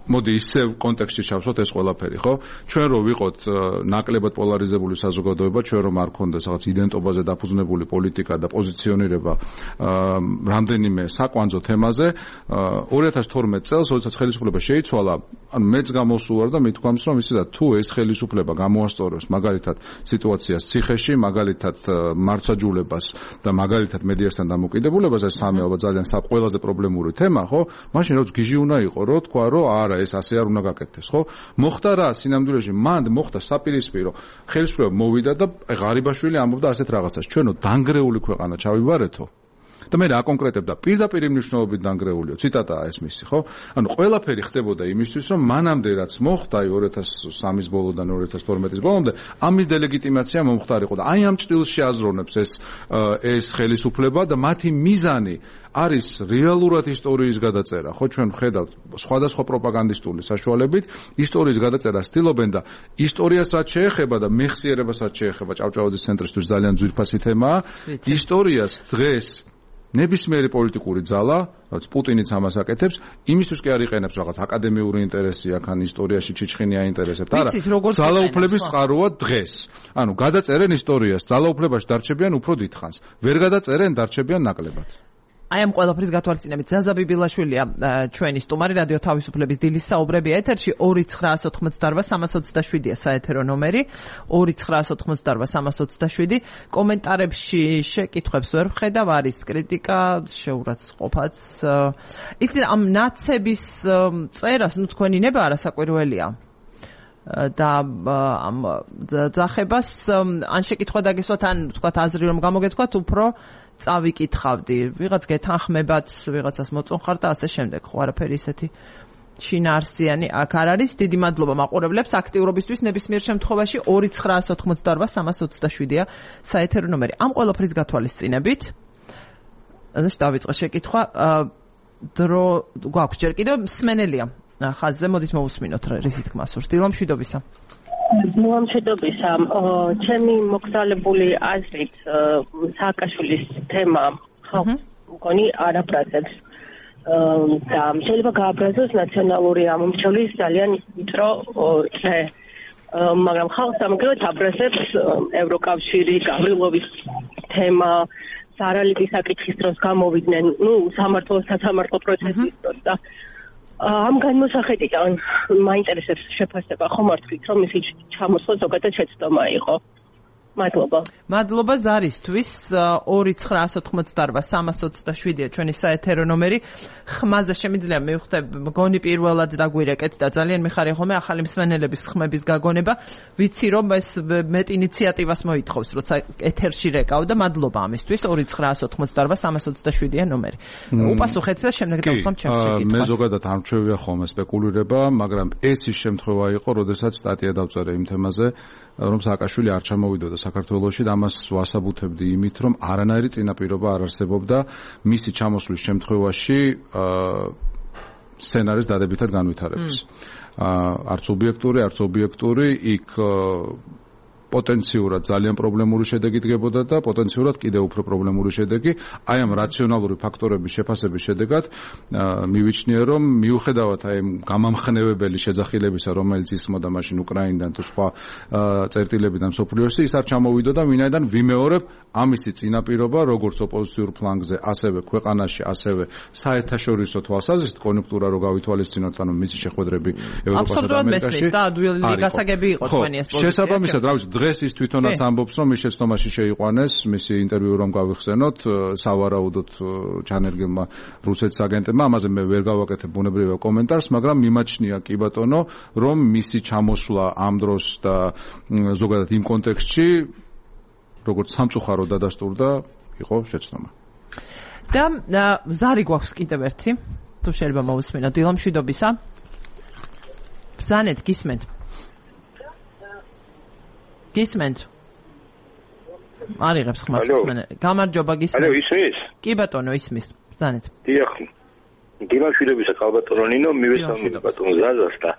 მოდი ისევ კონტექსტში ჩავსვათ ეს ყველაფერი, ხო? ჩვენ რო ვიყოთ ნაკლებად პოლარიზებული საზოგადოება, ჩვენ რომ არ გქონდეს რაღაც იდენტობაზე დაფუძნებული პოლიტიკა და პოზიციონირება რამდენიმე საკვანძო თემაზე, 2012 წელს, როდესაც ხელისუფლება შეიცვალა, ანუ მეც გამოსულა და მithქვამს, რომ ისე და თუ ეს ხელისუფლება გამოასწორებს მაგალითად სიტუაციას ციხეში, მაგალითად მარცვაჯულებას და მაგალითად მედიასთან დამოკიდებულებას, ეს სამი ალბათ ძალიან ყველაზე პრობლემური თემა, ხო? მაშინ რაც გიჟი უნდა იყო, რო თქვა, რომ არა ეს ასე არ უნდა გაკეთდეს, ხო? მოხდა რა სინამდვილეში, მანდ მოხდა საპირისპირო. ხელისუფლება მოვიდა და ღარიბაშვილი ამბობდა ასეთ რაღაცას. ჩვენო დანგრეული ქვეყანა ჩავიბარეთო. და მე რა კონკრეტებდა პირდაპირ მნიშვნელობით დანგრეულიო. ციტატაა ეს მისი, ხო? ანუ ყველაფერი ხდებოდა იმისთვის, რომ მანამდე რაც მოხდა 2003-ის ბოლოდან 2012-ის ბოლომდე, ამის დილეგიტიმაცია მომხდარიყო და აი ამ ჭრილში აზროვნებს ეს ხელისუფლება და მათი მიზანი არის რეალურად ისტორიის გადაწერა, ხო ჩვენ ვხედავთ სხვადასხვა პროპაგანდისტული საშუალებით ისტორიის გადაწერას ცდილობენ და ისტორიას რაც შეეხება და მეხსიერებას რაც შეეხება ჭავჭავაძის ცენტრისთვის ძალიან ძვირფასი თემაა ისტორიას დღეს ნებისმიერი პოლიტიკური ძალა, რაც პუტინიც ამას აკეთებს, იმისთვის კი არ იყენებს რაღაც აკადემიური ინტერესი, აქან ისტორიაში ჩიჩხინი აინტერესებთ, არა. ძალაუფლების წყაროა დღეს. ანუ გადაწერენ ისტორიას, ძალაუფლებაში დარჩებიან უფრო დიდხანს. ვერ გადაწერენ, დარჩებიან ნაკლებად. აი ამ ყველაფრის გათვალისწინებით ზაზა ბიბილაშვილია ჩვენი სტუმარი რადიო თავისუფლების დილის საუბრები ეთერში 2988327-ია საეთერო ნომერი 2988327 კომენტარებში შეკითხვებს ვერ ვხედავ არის კრიტიკა შეურაცხყოფაც ისე ამ ნაცების წერას ნუ თქვენი ნება არასაკვირველია და ამ ძახებას ან შეკითხვა დაგესვათ ან თქვათ აზრი რომ გამოგეთქვათ უფრო წავიკითხავდი ვიღაც გეთანხმებათ ვიღაცას მოწონხარ და ასე შემდეგ ხო არაფერი ისეთი შინაარსიანი აქ არ არის დიდი მადლობა მაყურებლებს აქტიურობისთვის ნებისმიერ შემთხვევაში 2988327-ია საეთერო ნომერი ამ ყველაფრის გათვალისწინებით ეს დავიწყე შეკითხვა დრო გვაქვს ჯერ კიდევ მსმენელია ხაზზე მოდით მოვუსმინოთ რისი თქმა სურს დილამშვიდობისა მშვიდობისა ჩემი მოგზაურებული აზრით სააკაშვილის თემა მგონი არაბრაზებს და შეიძლება გააბრაზოს ნაციონალური ამომრჩევლის ძალიან ვიწრო წრე მაგრამ ხალხს ამგრევად აბრაზებს ევროკავშირი გავრილოვის თემა სარალიკის საკითხის დროს გამოვიდნენ სამართო პროცესის დროს და ამ განმოსახედიდან მაინტერესებს შეფასება ხომ არ თქვით რომ მისი ჩამოსვლა ზოგადად შეცდომა იყო მადლობა ზარისთვის 2988327-ია ჩვენი საეთერო ნომერი ხმაზე შემიძლია მივხვდე მგონი პირველად დაგვირეკეთ და ძალიან მიხარია ხოლმე ახალი მსმენელების ხმების გაგონება ვიცი რომ ეს მეტ ინიციატივას მოითხოვს როცა ეთერში რეკავ და მადლობა ამისთვის 2988327-ია ნომერი უპასუხეთ და შემდეგ დავსვამ ჩემს შეკითხვას მე ზოგადად არ მჩვევია ხოლმე სპეკულირება მაგრამ ეს ის შემთხვევა იყო როდესაც სტატია დავწერე იმ თემაზე რომ სააკაშვილი არ ჩამოვიდოდა საქართველოში და ამას ვასაბუთებდი იმით, რომ არანაირი წინაპირობა არ არსებობდა მისი ჩამოსვლის შემთხვევაში სცენარის დადებითად განვითარების. არც ობიექტური, იქ პოტენციურად ძალიან პრობლემური შედეგი დგებოდა და პოტენციურად კიდევ უფრო პრობლემური შედეგი. აი ამ რაციონალური ფაქტორების შეფასების შედეგად მივიჩნია, რომ მიუხედავად აი გამამხნევებელი შეძახილებისა, რომელიც ისმოდა მაშინ უკრაინიდან თუ სხვა წერტილებიდან მსოფლიოში, ის არ ჩამოვიდოდა, ვინაიდან ვიმეორებ ამისი წინაპირობა, როგორც ოპოზიციურ ფლანგზე, ასევე ქვეყანაში, ასევე საერთაშორისო თვალსაზრისით, კონიუნქტურა რო გავითვალისწინოთ, ანუ მისი შეხვედრები ევროპასა და ამერიკაში. და ადვილი გასაგები იყო თქვენი ეს პოზიცია. შესაბამისად, რა ვიცი, დღეს ის თვითონაც ამბობს, რომ ის შეცდომაში შეიყვანეს, მისი ინტერვიუ რომ გავიხსენოთ, სავარაუდოდ ჩანერგილმა რუსეთის აგენტებმა, ამაზე მე ვერ გავაკეთებ ბუნებრივია კომენტარს, მაგრამ მიმაჩნია კი ბატონო, რომ მისი ჩამოსვლა ამ დროს და ზოგადად იმ კონტექსტში როგორც სამწუხარო დადასტურდა, იყო შეცდომა. და ზარი გვაქვს კიდევ ერთი, თუ შეიძლება მოვუსმინოთ, დილამშვიდობისა. ბზანეთ, გისმენთ. გისმენთ. არიღებს ხმას გისმენთ. გამარჯობა გისმენთ. ალო, ისმის? კი ბატონო, ისმის. ბზანეთ. დიახ. დილამშვიდობისა, ხალბატონო ნინო, მივესალმებით ბატონ ზაზას და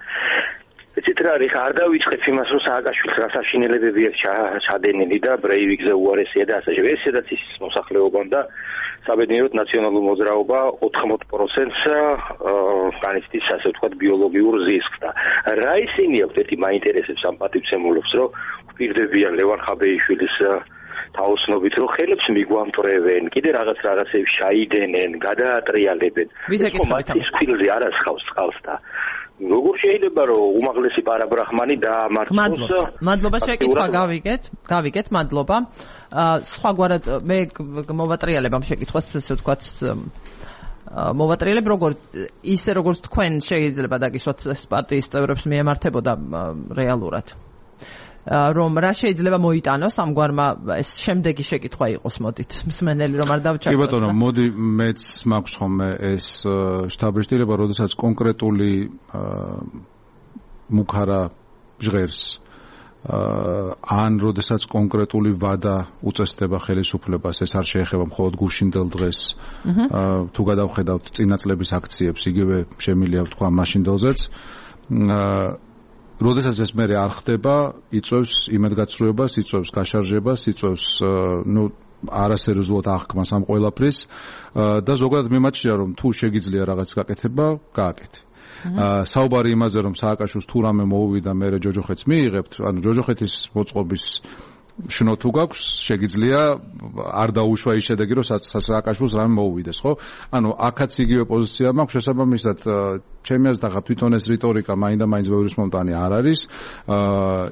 ეცით რა არის არ დავიწყებ იმას რომ სააკაშვილს რა საშინელებები აქვს ჩადენილი და ბრეივიკზე უარესია და ასე შემდეგ. ეს სადაც ის მოსახლეობამ და საბედნიეროდ ნაციონალურ მოძრაობა 80%-ს განიცდის ასე ვთქვათ ბიოლოგიურ ზისკს და რა ისინი აქვთ ერთი მაინტერესებს ამ პატივცემულობს რომ ვპირდებიან ლევან ხაბეიშვილის თაოსნობით რომ ხელებს მიგვამტრევენ კიდე რაღაცებს ჩაიდენენ გადაატრიალებენ ის ქვილზე არ ასხავს წყალს და როგორ შეიძლება რომ უმაღლესი პარაბრაჰმანი დაამარცხოს მადლობა შეკითხვა გავიგეთ მადლობა სხვაგვარად მე მოვატრიალებ ამ შეკითხვას ესე ვთქვათ მოვატრიალებ როგორც თქვენ შეიძლება დაგისვათ პარტიის წევრებს მიემართებოდა რეალურად რომ რა შეიძლება მოიტანოს ამგვარმა ეს შემდეგი შეკითხვა იყოს მოდით მსმენელი რომ არ დავჩაგდოთ. კი ბატონო, მოდი მეც მაქვს ხოლმე ეს შთაბეჭდილება, როდესაც კონკრეტული მუქარა ჟღერს ან როდესაც კონკრეტული ვადა უწესდება ხელისუფლებას, ეს არ შეეხება მხოლოდ გუშინდელ დღეს. თუ გადავხედავთ წინა წლების აქციებს, იგივე შემილია ვთქვა მაშინდელზეც. როდესაც ეს მე არ ხდება, იწვევს იმედგაცრუებას, იწვევს გაშარჟებას, იწვევს არასერიოზულად აღქმას ამ ყველაფრის და ზოგადად მიმაჩნია რომ თუ შეგიძლია რაღაც გაკეთება, გააკეთე. საუბარი იმაზე რომ სააკაშვილს თუ რამე მოუვიდა მე ჯოჯოხეთს მიიღებთ, ანუ ჯოჯოხეთის მოწყობის შნო თუ გაქვს, შეგიძლია არ დაუშვა ის შედეგი რომ სააკაშვილს რამე მოუვიდეს, ხო? ანუ აქაც იგივე პოზიცია მაქვს შესაბამისად ჩემი აზრით თვითონ ეს რიტორიკა მაინდა-მაინც ბევრის მომტანი არ არის.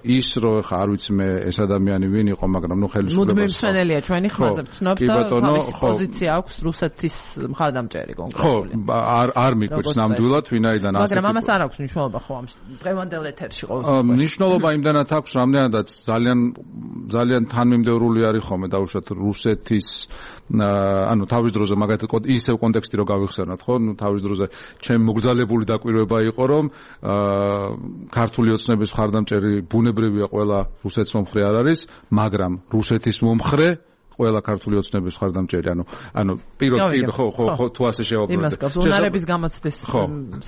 ის რომ ხა არ ვიცი მე ეს ადამიანი ვინ იყო, მაგრამ ნუ ხელისუფლებას მუდმივ მსმენელია ჩვენი ხმაზე ვცნობ და თავისი პოზიცია აქვს რუსეთის მხარდამჭერი კონკრეტული. ხო, არ მიგვეც ნამდვილად ვინაიდან ასე. მაგრამ ამას არ აქვს მნიშვნელობა ხო ამ დღევანდელ ეთერში ყოველ მნიშვნელობა იმდანაც აქვს, რამდენადაც ძალიან თანმიმდევრული არის ხოლმე დაუშვათ რუსეთის ანუ თავის დროზე მაგათი ისევ კონტექსტი რო გავიხსენოთ, ხო? ნუ თავის დროზე ჩემ მოგზალებული დაკვირვება იყო რომ ქართული ოცნების მხარდამჭერი ბუნებრივია ყველა რუსეთის მომხრე არ არის, მაგრამ რუსეთის მომხრე ყველა ქართული ოცნების მხარდამჭერი, ანუ პირდაპირ ხო თუ ასე შევაბრძოლოთ. იმას გავს უნარების გამოცდის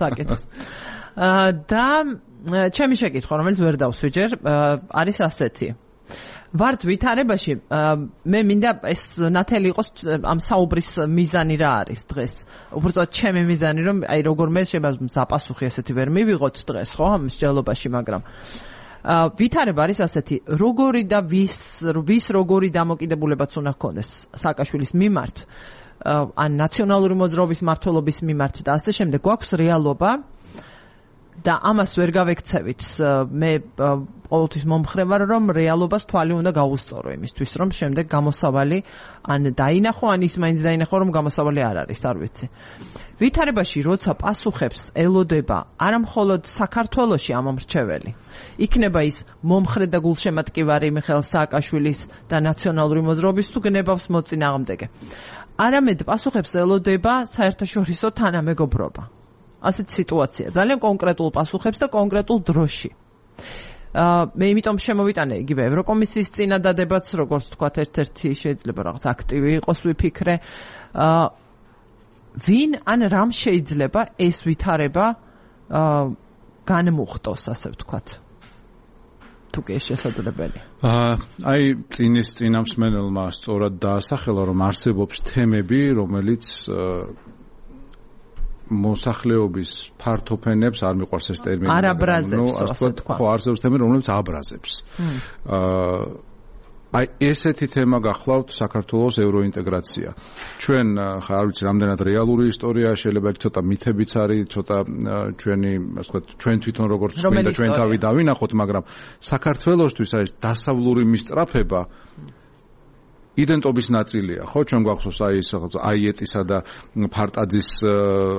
საკითხს. და ჩემი შეკითხვა, რომელიც ვერ დავსვიჯერ, არის ასეთი. ვართ ვითარებაში მე მინდა ეს ნათელი იყოს ამ საუბრის მიზანი რა არის დღეს უბრალოდ ჩემი მიზანი რომ აი როგორ მე შეიძლება ზაპასუხი ესეთი ვერ მივიღოთ დღეს ხო ამ მსჯელობაში მაგრამ ვითარება არის ასეთი როგორი და ვის როგორი დამოკიდებულებაც უნდა ჰქონდეს სააკაშვილის მიმართ ან ნაციონალური მოძრაობის მმართველობის მიმართ და ასე შემდეგ გვაქვს რეალობა და ამას ვერ გავექცევით მე ყოველთვის მომხრე ვარ რომ რეალობას თვალი უნდა გაუსწორო იმისთვის რომ შემდეგ გამოსავალი ან დაინახო ან ის მაინც დაინახო რომ გამოსავალი არ არის არ ვიცი ვითარებაში როცა პასუხებს ელოდება არა მხოლოდ საქართველოში ამ მომრჩეველი იქნება ის მომხრე და გულშემატკივარი მიხეილ სააკაშვილის და ნაციონალური მოძრაობის თუ გნებავს მოწინააღმდეგე არამედ პასუხებს ელოდება საერთაშორისო თანამეგობრობა ასეთ სიტუაცია ძალიან კონკრეტულ პასუხებს და კონკრეტულ დროში. მე იმიტომ შემოვიტანე იგივე ევროკომისიის წინადადებაც, როგორც თქვათ, ერთ-ერთი შეიძლება რაღაც აქტივი იყოს ვიფიქრე. ვინ ან რამ შეიძლება ეს ვითარება განმუხტოს, ასე ვთქვათ. თუ კი ეს შესაძლებელი. აი წინამსმენელმა სწორად დაასახელა, რომ არსებობს თემები, რომელიც მოსახლეობის ფართოფენებს არ მიყვარს ეს ტერმინი. არ აბრაზებს, ასე თქვა. ხო, არსებობს თემები, რომლებიც აბრაზებს. აი ესეთი თემა გახლავთ საქართველოს ევროინტეგრაცია. ჩვენ ხა არ ვიცი რამდენად რეალური ისტორია, შეიძლება ცოტა მითებიც არის, ცოტა ჩვენი, ასე ვთქვათ, ჩვენ თვითონ როგორც გვინდა ჩვენ თავი დავინახოთ, მაგრამ საქართველოსთვის ეს დასავლური მისწრაფება იდენტობის ნაწილია, ხო, ჩვენ გვახსოვს აი ეს აიეტისა და ფარტაძის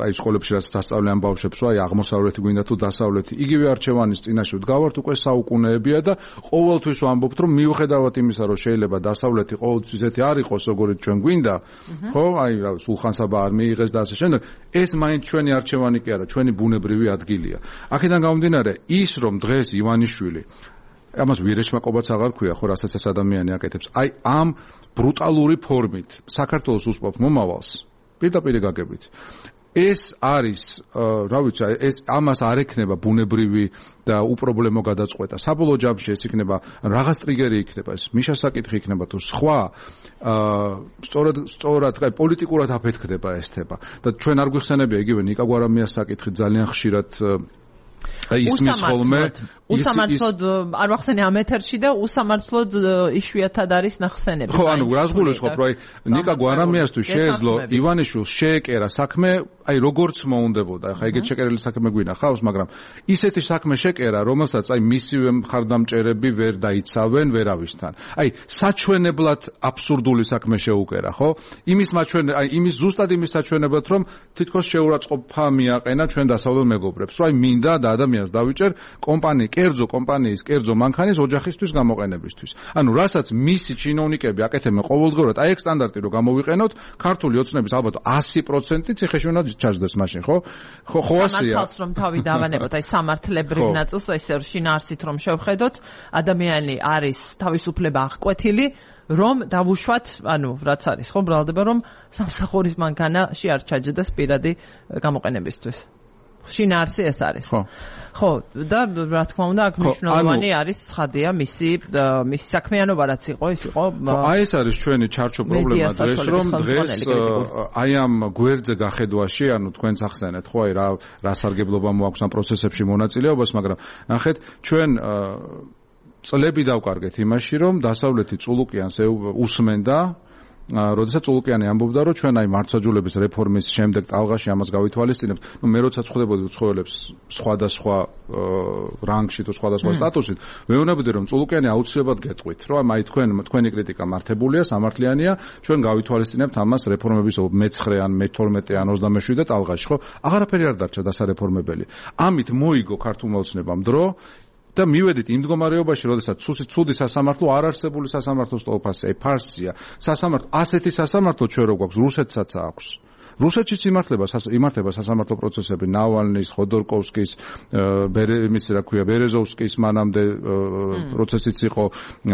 აი სკოლებში რაც დასწავლიან ბავშვებს, აი აღმოსავლეთი გვინდა თუ დასავლეთი. იგივე არჩევანის წინაშე ვდგავართ უკვე საუკუნეებია და ყოველთვის ვამბობთ, რომ მიუხედავად იმისა, რომ შეიძლება დასავლეთი ყოველთვის ისეთი არ იყოს, როგორც ჩვენ გვინდა, ხო, აი რა სულხან-საბა არ მიიღეს და ასე შემდეგ, ეს მაინც ჩვენი არჩევანი კი არა, ჩვენი ბუნებრივი ადგილია. აქედან გამომდინარე, ის რომ დღეს ივანიშვილი ამას ვირეშმაკობაც აღარ ქვია, ხო, რასაც ეს ადამიანი აკეთებს. აი ამ ბრუტალური ფორმით საქართველოს უსპობ მომავალს პირდაპირ გაგებით. ეს არის, რა ვიცი, ეს ამას არ ექნება ბუნებრივი და უპრობლემო გადაწყვეტა. საბოლოო ჯამში ეს იქნება რაღაც ტრიგერი იქნება, ეს მიშას საკითხი იქნება თუ სხვა, სწორად, პოლიტიკურად აფეთქდება ეს თემა. და ჩვენ არ გვიხსენებია იგივე ნიკა გვარამიას საკითხი ძალიან ხშირად ისმის ხოლმე უსამართლოდ არ ვახსენე ამ ეთერში და უსამართლოდ იშვიათად არის ნახსენები. ხო, ანუ რას გულისხმობ, რომ ნიკა გვარამიასთვის შეეძლო ივანიშვილს შეეკერა საქმე, აი როგორც მოუნდებოდა. ახლა ეგეთ შეკერილი საქმე გვინახავს, მაგრამ ისეთი საქმე შეკერა, რომელსაც აი მისივე მხარდამჭერები ვერ დაიცავენ ვერავისთან. აი საჩვენებლად აბსურდული საქმე შეუკერა, ხო? იმის ზუსტად იმის საჩვენებლად, რომ თითქოს შეურაცხყოფა მიაყენა ჩვენ დასავლელ მეგობრებს. რომ აი მინდა და ადამიანს დავიჭერ კომპანიის კერძო მანქანის ოჯახისთვის გამოყენებისთვის. ანუ რასაც მისი ჩინოვნიკები აკეთებენ ყოველდღურად, აი ეგ სტანდარტი რო გამოვიყენოთ, ქართული ოცნების ალბათ 100% ციხეში უნდა ჩაჯდეს მაშინ, ხო? ხო ასეა. სამართალს რომ თავი დავანებოთ, აი სამართლებრივ ნაწილს, ესე შინაარსით რომ შევხედოთ, ადამიანი არის თავისუფლება აღკვეთილი, რომ დავუშვათ, ანუ რაც არის, ხო, ბრალდება რომ სამსახურის მანქანა არ ჩაჯდეს პირადი გამოყენებისთვის. შინაარსი ეს არის. ხო, და რა თქმა უნდა, აქ მნიშვნელოვანი არის ცხადია მისი საქმიანობა რაც იყო, ის იყო. აი ეს არის ჩვენი ჩარჩო პრობლემა დღეს, რომ დღეს აი ამ გვერდზე გახედვაში, ანუ თქვენც ახსენეთ, ხო, აი რა სარგებლობა მოაქვს ამ პროცესებში მონაწილეობას, მაგრამ ნახეთ, ჩვენ წლები დავკარგეთ იმაში, რომ დასავლეთი წულუკიანს უსმენდა როდესაც ულუკიანი ამბობდა, რომ ჩვენ აი მართლმსაჯულების რეფორმის შემდეგ ტალღაში ამას გავითვალისწინებთ, მე როცა წხვდებოდი უცხოელებს სხვადასხვა რანგში თუ სხვადასხვა სტატუსით, მეუბნებოდი, რომ წულუკიანი აუცილებლად გეტყვით, რომ აი თქვენი კრიტიკა მართებულია, სამართლიანია, ჩვენ გავითვალისწინებთ ამას რეფორმების მე-9 ან მე-12 ან 27 ტალღაში, ხო? აღარაფერი არ დარჩა დასარეფორმებელი. ამით მოიგო ქართულმა ოცნებამ დრო და მივედით იმ მდგომარეობაში, როდესაც ცუდი სასამართლო არ არსებული სასამართლო სტოლფასია, ფარსია. სასამართლო ასეთი სასამართლო ჩვენ რო გვაქვს, რუსეთსაც აქვს. რუსეთშიც იმართება სასამართლო პროცესები ნავალნის, ხოდორკოვსკის, ბერეზოვსკის მანამდე პროცესიც იყო,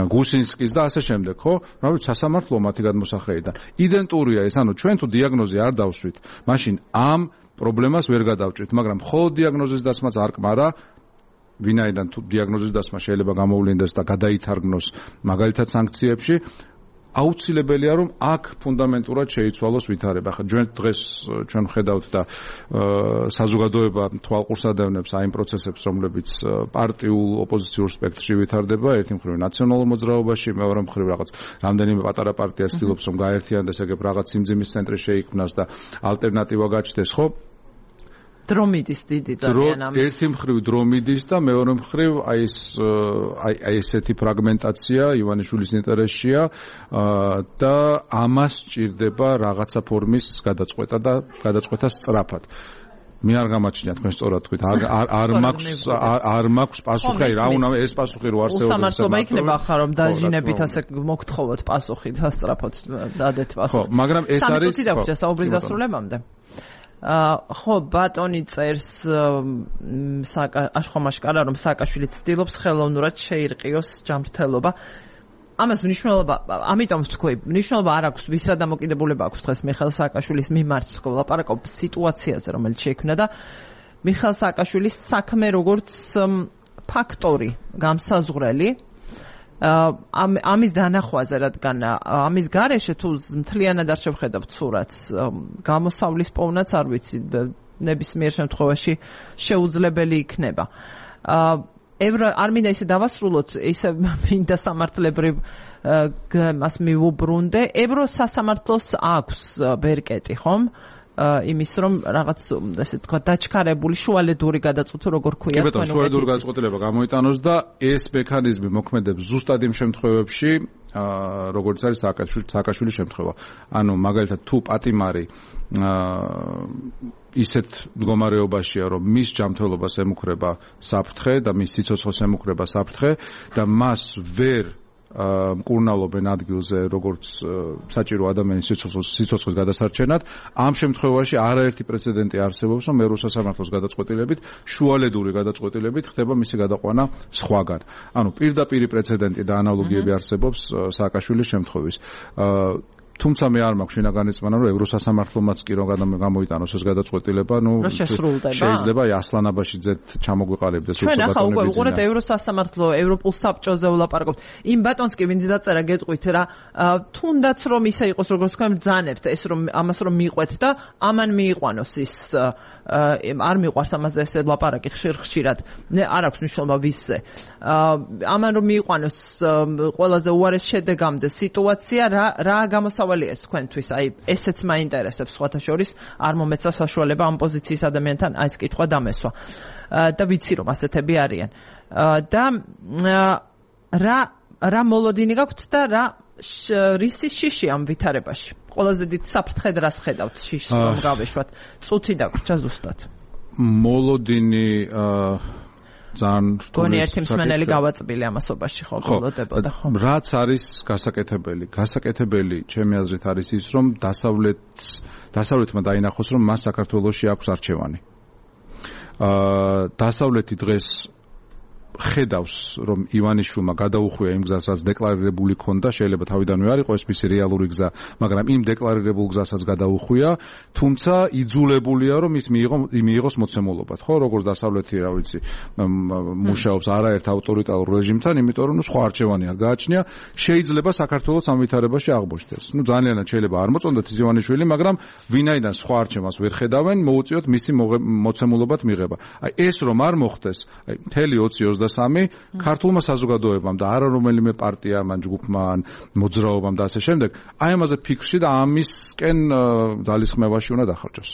გუსინსკის და ასე შემდეგ, ხო? რა ვიცი, სასამართლო მათი გადმოსახედიდან. იდენტურია ეს, ანუ ჩვენ თუ დიაგნოზი არ დავსვით, მაშინ ამ პრობლემას ვერ გადავჭრით, მაგრამ მხოლოდ დიაგნოზის დასმაც არ კმარა. ვინაიდან თუ დიაგნოზის დასმა შეიძლება გამოვლინდეს და გადაითარგმნოს მაგალითად სანქციებში, აუცილებელია რომ აქ ფუნდამენტურად შეიცვალოს ვითარება. ხა დღეს ჩვენ ხედავთ და საზოგადოება თვალყურს ადევნებს აი იმ პროცესებს, რომლებიც პარტიულ ოპოზიციურ სპექტრში ვითარდება, ერთი მხრივ ნაციონალურ მოძრაობაში, მეორე მხრივ რაღაც რამდენიმე პატარა პარტია ცდილობს რომ გაერთიანდეს, ეგრე რაღაც სიმძიმის ცენტრი შეიქმნას და ალტერნატივა გაჩნდეს, ხო? დრომიდის დიდი ძალიან ამის. ერთი მხრივ დრომიდის და მეორე მხრივ აი ესეთი ფრაგმენტაცია ივანიშვილის ინტერესშია და ამას სჭირდება რაღაცა ფორმის გადაწყვეტა და გადაწყვეტა სწრაფად. მე არ გამაჩნია თქვენ სწორად თქვით, არ მაქვს პასუხი, რა უნდა ეს პასუხი რო არსებობს. უსამართლობა იქნება ახლა რომ დაჟინებით ასე მოგთხოვოთ პასუხი დასწრაფოთ დადეთ პასუხი. ხო, მაგრამ ეს არის საუბრის დასრულებამდე. ხო, ბატონი წერს აშხომაშკარა რომ სააკაშვილი ცდილობს ხელოვნურად შეირყიოს ჯანმრთელობა. ამას მნიშვნელობა, ამიტომ ვთქვი, მნიშვნელობა არ აქვს, ვისა დამოკიდებულება აქვს დღეს მიხეილ სააკაშვილის მიმართ, ლაპარაკობ სიტუაციაზე, რომელიც შეიქმნა და მიხეილ სააკაშვილის საქმე როგორც ფაქტორი, გამსაზღვრელი ამის დანახვაზე, რადგან ამის გარეშე თუ მთლიანად არ შევხედავთ სურათს, გამოსავლის პოვნაც არ ვიცი, ნებისმიერ შემთხვევაში შეუძლებელი იქნება. არ მინდა ისე დავასრულოთ, ისე მინდა სამართლებრივ მას მივუბრუნდე. ევროს სასამართლოს აქვს ბერკეტი, ხომ? იმის რომ რაღაც ესე თქვა დაჩქარებული შუალედური გადაწყვეტა როგორ ქვია თქვენ. კი ბატონო, შუალედური გადაწყვეტილება გამოიტანოს და ეს მექანიზმი მოქმედებს ზუსტად იმ შემთხვევებში, როგორც არის სააკაშვილის შემთხვევა. ანუ მაგალითად თუ პატიმარი ისეთ მდგომარეობაშია, რომ მის ჯანმრთელობას ემუქრება საფრთხე და მის სიცოცხლეს ემუქრება საფრთხე და მას ვერ მკურნალობენ ადგილზე, როგორც საჭირო ადამიანის სიცოცხლის გადასარჩენად. ამ შემთხვევაში არაერთი პრეცედენტი არსებობს, რომ ევროს სასამართლოს გადაწყვეტილებით, შუალედური გადაწყვეტილებით ხდება მისი გადაყვანა სხვაგან. ანუ პირდაპირი პრეცედენტი და ანალოგიები არსებობს სააკაშვილის შემთხვევის. თუმცა მე არ მაქვს შინაგანი წმენა, რომ ევროსასამართლომაც კი რომ გამოიტანოს ეს გადაწყვეტილება, შეიძლება ასლან აბაშიძეთ ჩამოგვიყალიბდეს უცხო ბატონები. ჩვენ ახლა უკვე უყურეთ ევროსასამართლო, ევროპულ საბჭოზე ვლაპარაკობთ. იმ ბატონს კი ვინც დაწერა გეტყვით რა, თუნდაც რომ ისე იყოს როგორც თქვენ ბრძანებთ, ეს რომ ამას რომ მიყვეთ და ამან მიიყვანოს ის არ მიყვარს ამაზე ესე ლაპარაკი ხშირად. არ აქვს მნიშვნელობა ვისზე. ამან რომ მიიყვანოს ყველაზე უარეს შედეგამდე სიტუაცია რა გამოსავალია ეს თქვენთვის? აი ესეც მაინტერესებს სხვათა შორის, არ მომეცა საშუალება ამ პოზიციის ადამიანთან აი ეს კითხვა დამესვა. და ვიცი რომ ასეთები არიან. და რა მოლოდინი გაქვთ და რა რისი შიში ამ ვითარებაში? ყველაზე დიდ საფრთხედ რას ხედავთ შიშს რომ გავეშვათ? წუთი დაგვრჩა ზუსტად. მოლოდინი ძალიან რთული ერთი მსმენელი გავაწბილი ამასობაში ხო გულოდებოდა ხო? რაც არის გასაკეთებელი ჩემი აზრით არის ის რომ დასავლეთმა დაინახოს რომ მას საქართველოში აქვს არჩევანი. დასავლეთი დღეს ხედავს რომ ივანიშვილმა გადაუხვია იმ გზას რაც დეკლარირებული ქონდა, შეიძლება თავიდანვე არ იყოს ეს რეალური გზა, მაგრამ იმ დეკლარირებულ გზასაც გადაუხვია, თუმცა იძულებულია რომ ის მიიღოს მოცემულობად, ხო, როგორც დასავლეთი, რა ვიცი, მუშაობს არაერთ ავტორიტარულ რეჟიმთან, იმიტომ რომ სხვა არჩევანი არ გააჩნია, შეიძლება საქართველოს ამ ვითარებაში აღმოჩნდეს. ძალიანად შეიძლება არ მოწონდეთ ის ივანიშვილი, მაგრამ ვინაიდან სხვა არჩევანს ვერ ხედავენ, მოუწიოთ მისი მოცემულობად მიღება. აი ეს რომ არ მოხდეს, აი მთელი 2023 ქართულმა საზოგადოებამ და არა რომელიმე პარტიამ, ან ჯგუფმა, ან მოძრაობამ და ასე შემდეგ, აი ამაზე ფიქრში და ამისკენ ძალისხმევაში უნდა დახარჯოს.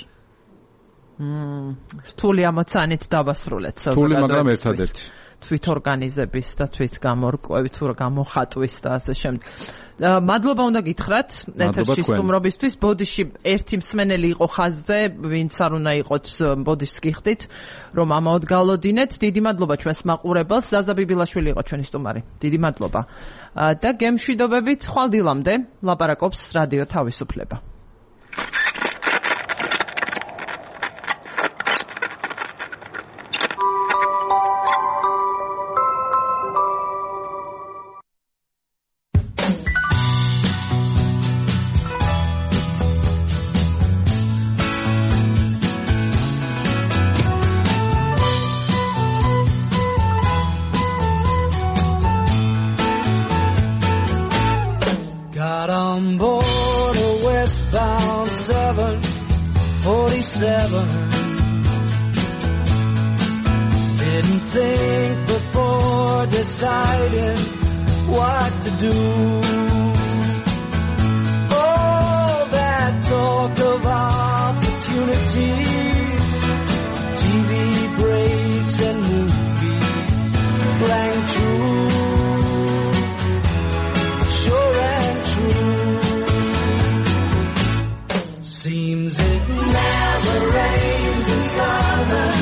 რთული ამოცანით დავასრულეთ რთული, მაგრამ ერთადერთი. თვითორგანიზების და თვითგამორკვევით თუ გამოხატვის და ასე შემდეგ. მადლობა უნდა გითხრათ ეთერში სტუმრობისთვის. ბოდიში ერთი მსმენელი იყო ხაზზე, ვინც არ უნდა იყოთ ბოდიშს გიხდით, რომ ამაოდ გალოდინეთ. დიდი მადლობა ჩვენს მაყურებელს. ზაზა ბიბილაშვილი იყო ჩვენი სტუმარი. დიდი მადლობა. და გემშვიდობებით ხვალ დილამდე ლაპარაკობს რადიო თავისუფლება. Got on board a westbound 747. Didn't think before deciding what to do. All that talk of opportunities, TV breaks and movies, blank true. Seems it never rains in Southern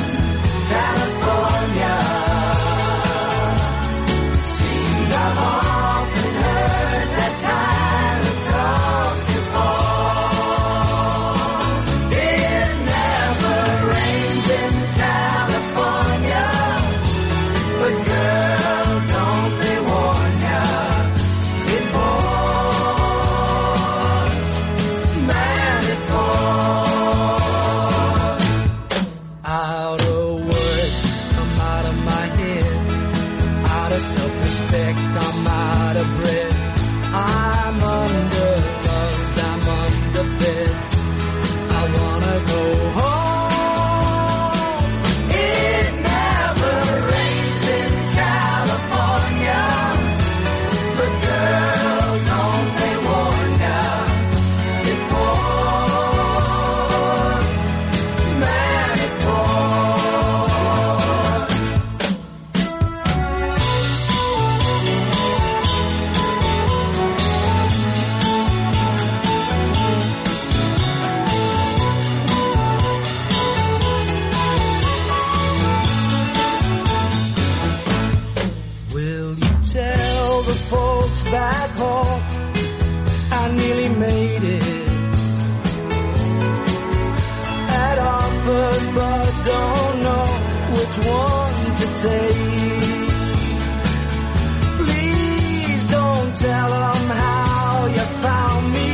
California. Seems I've often heard that kind of talk before. It never rains in California, but girl, don't they warn ya? It out of words come out of my head, out of self-respect I'm out of breath. I'm underloved, I'm underfed, I wanna go home. It never rains in California, but girl, don't they warn ya? It pours, man, it pours. Will you tell the folks back home I nearly made it? Had offers but don't know which one to take. Please don't tell them how you found me.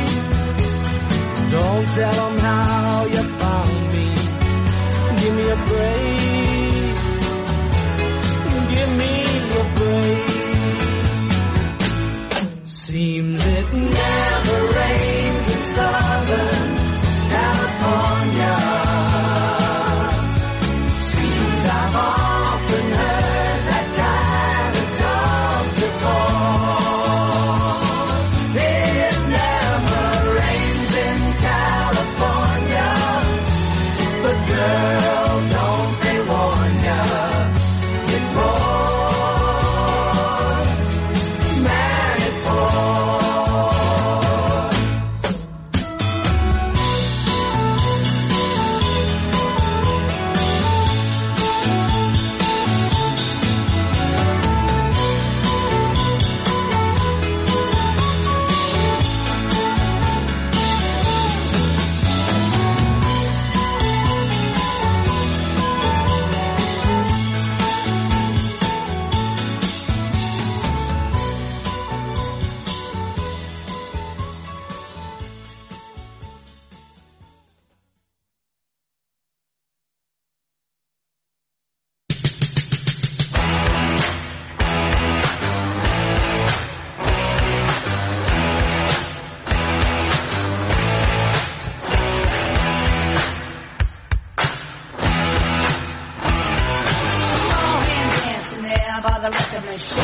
by the record machine.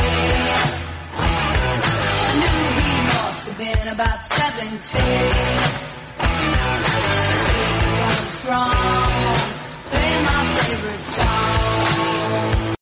I knew he must have been about 17. Strong, play my favorite song.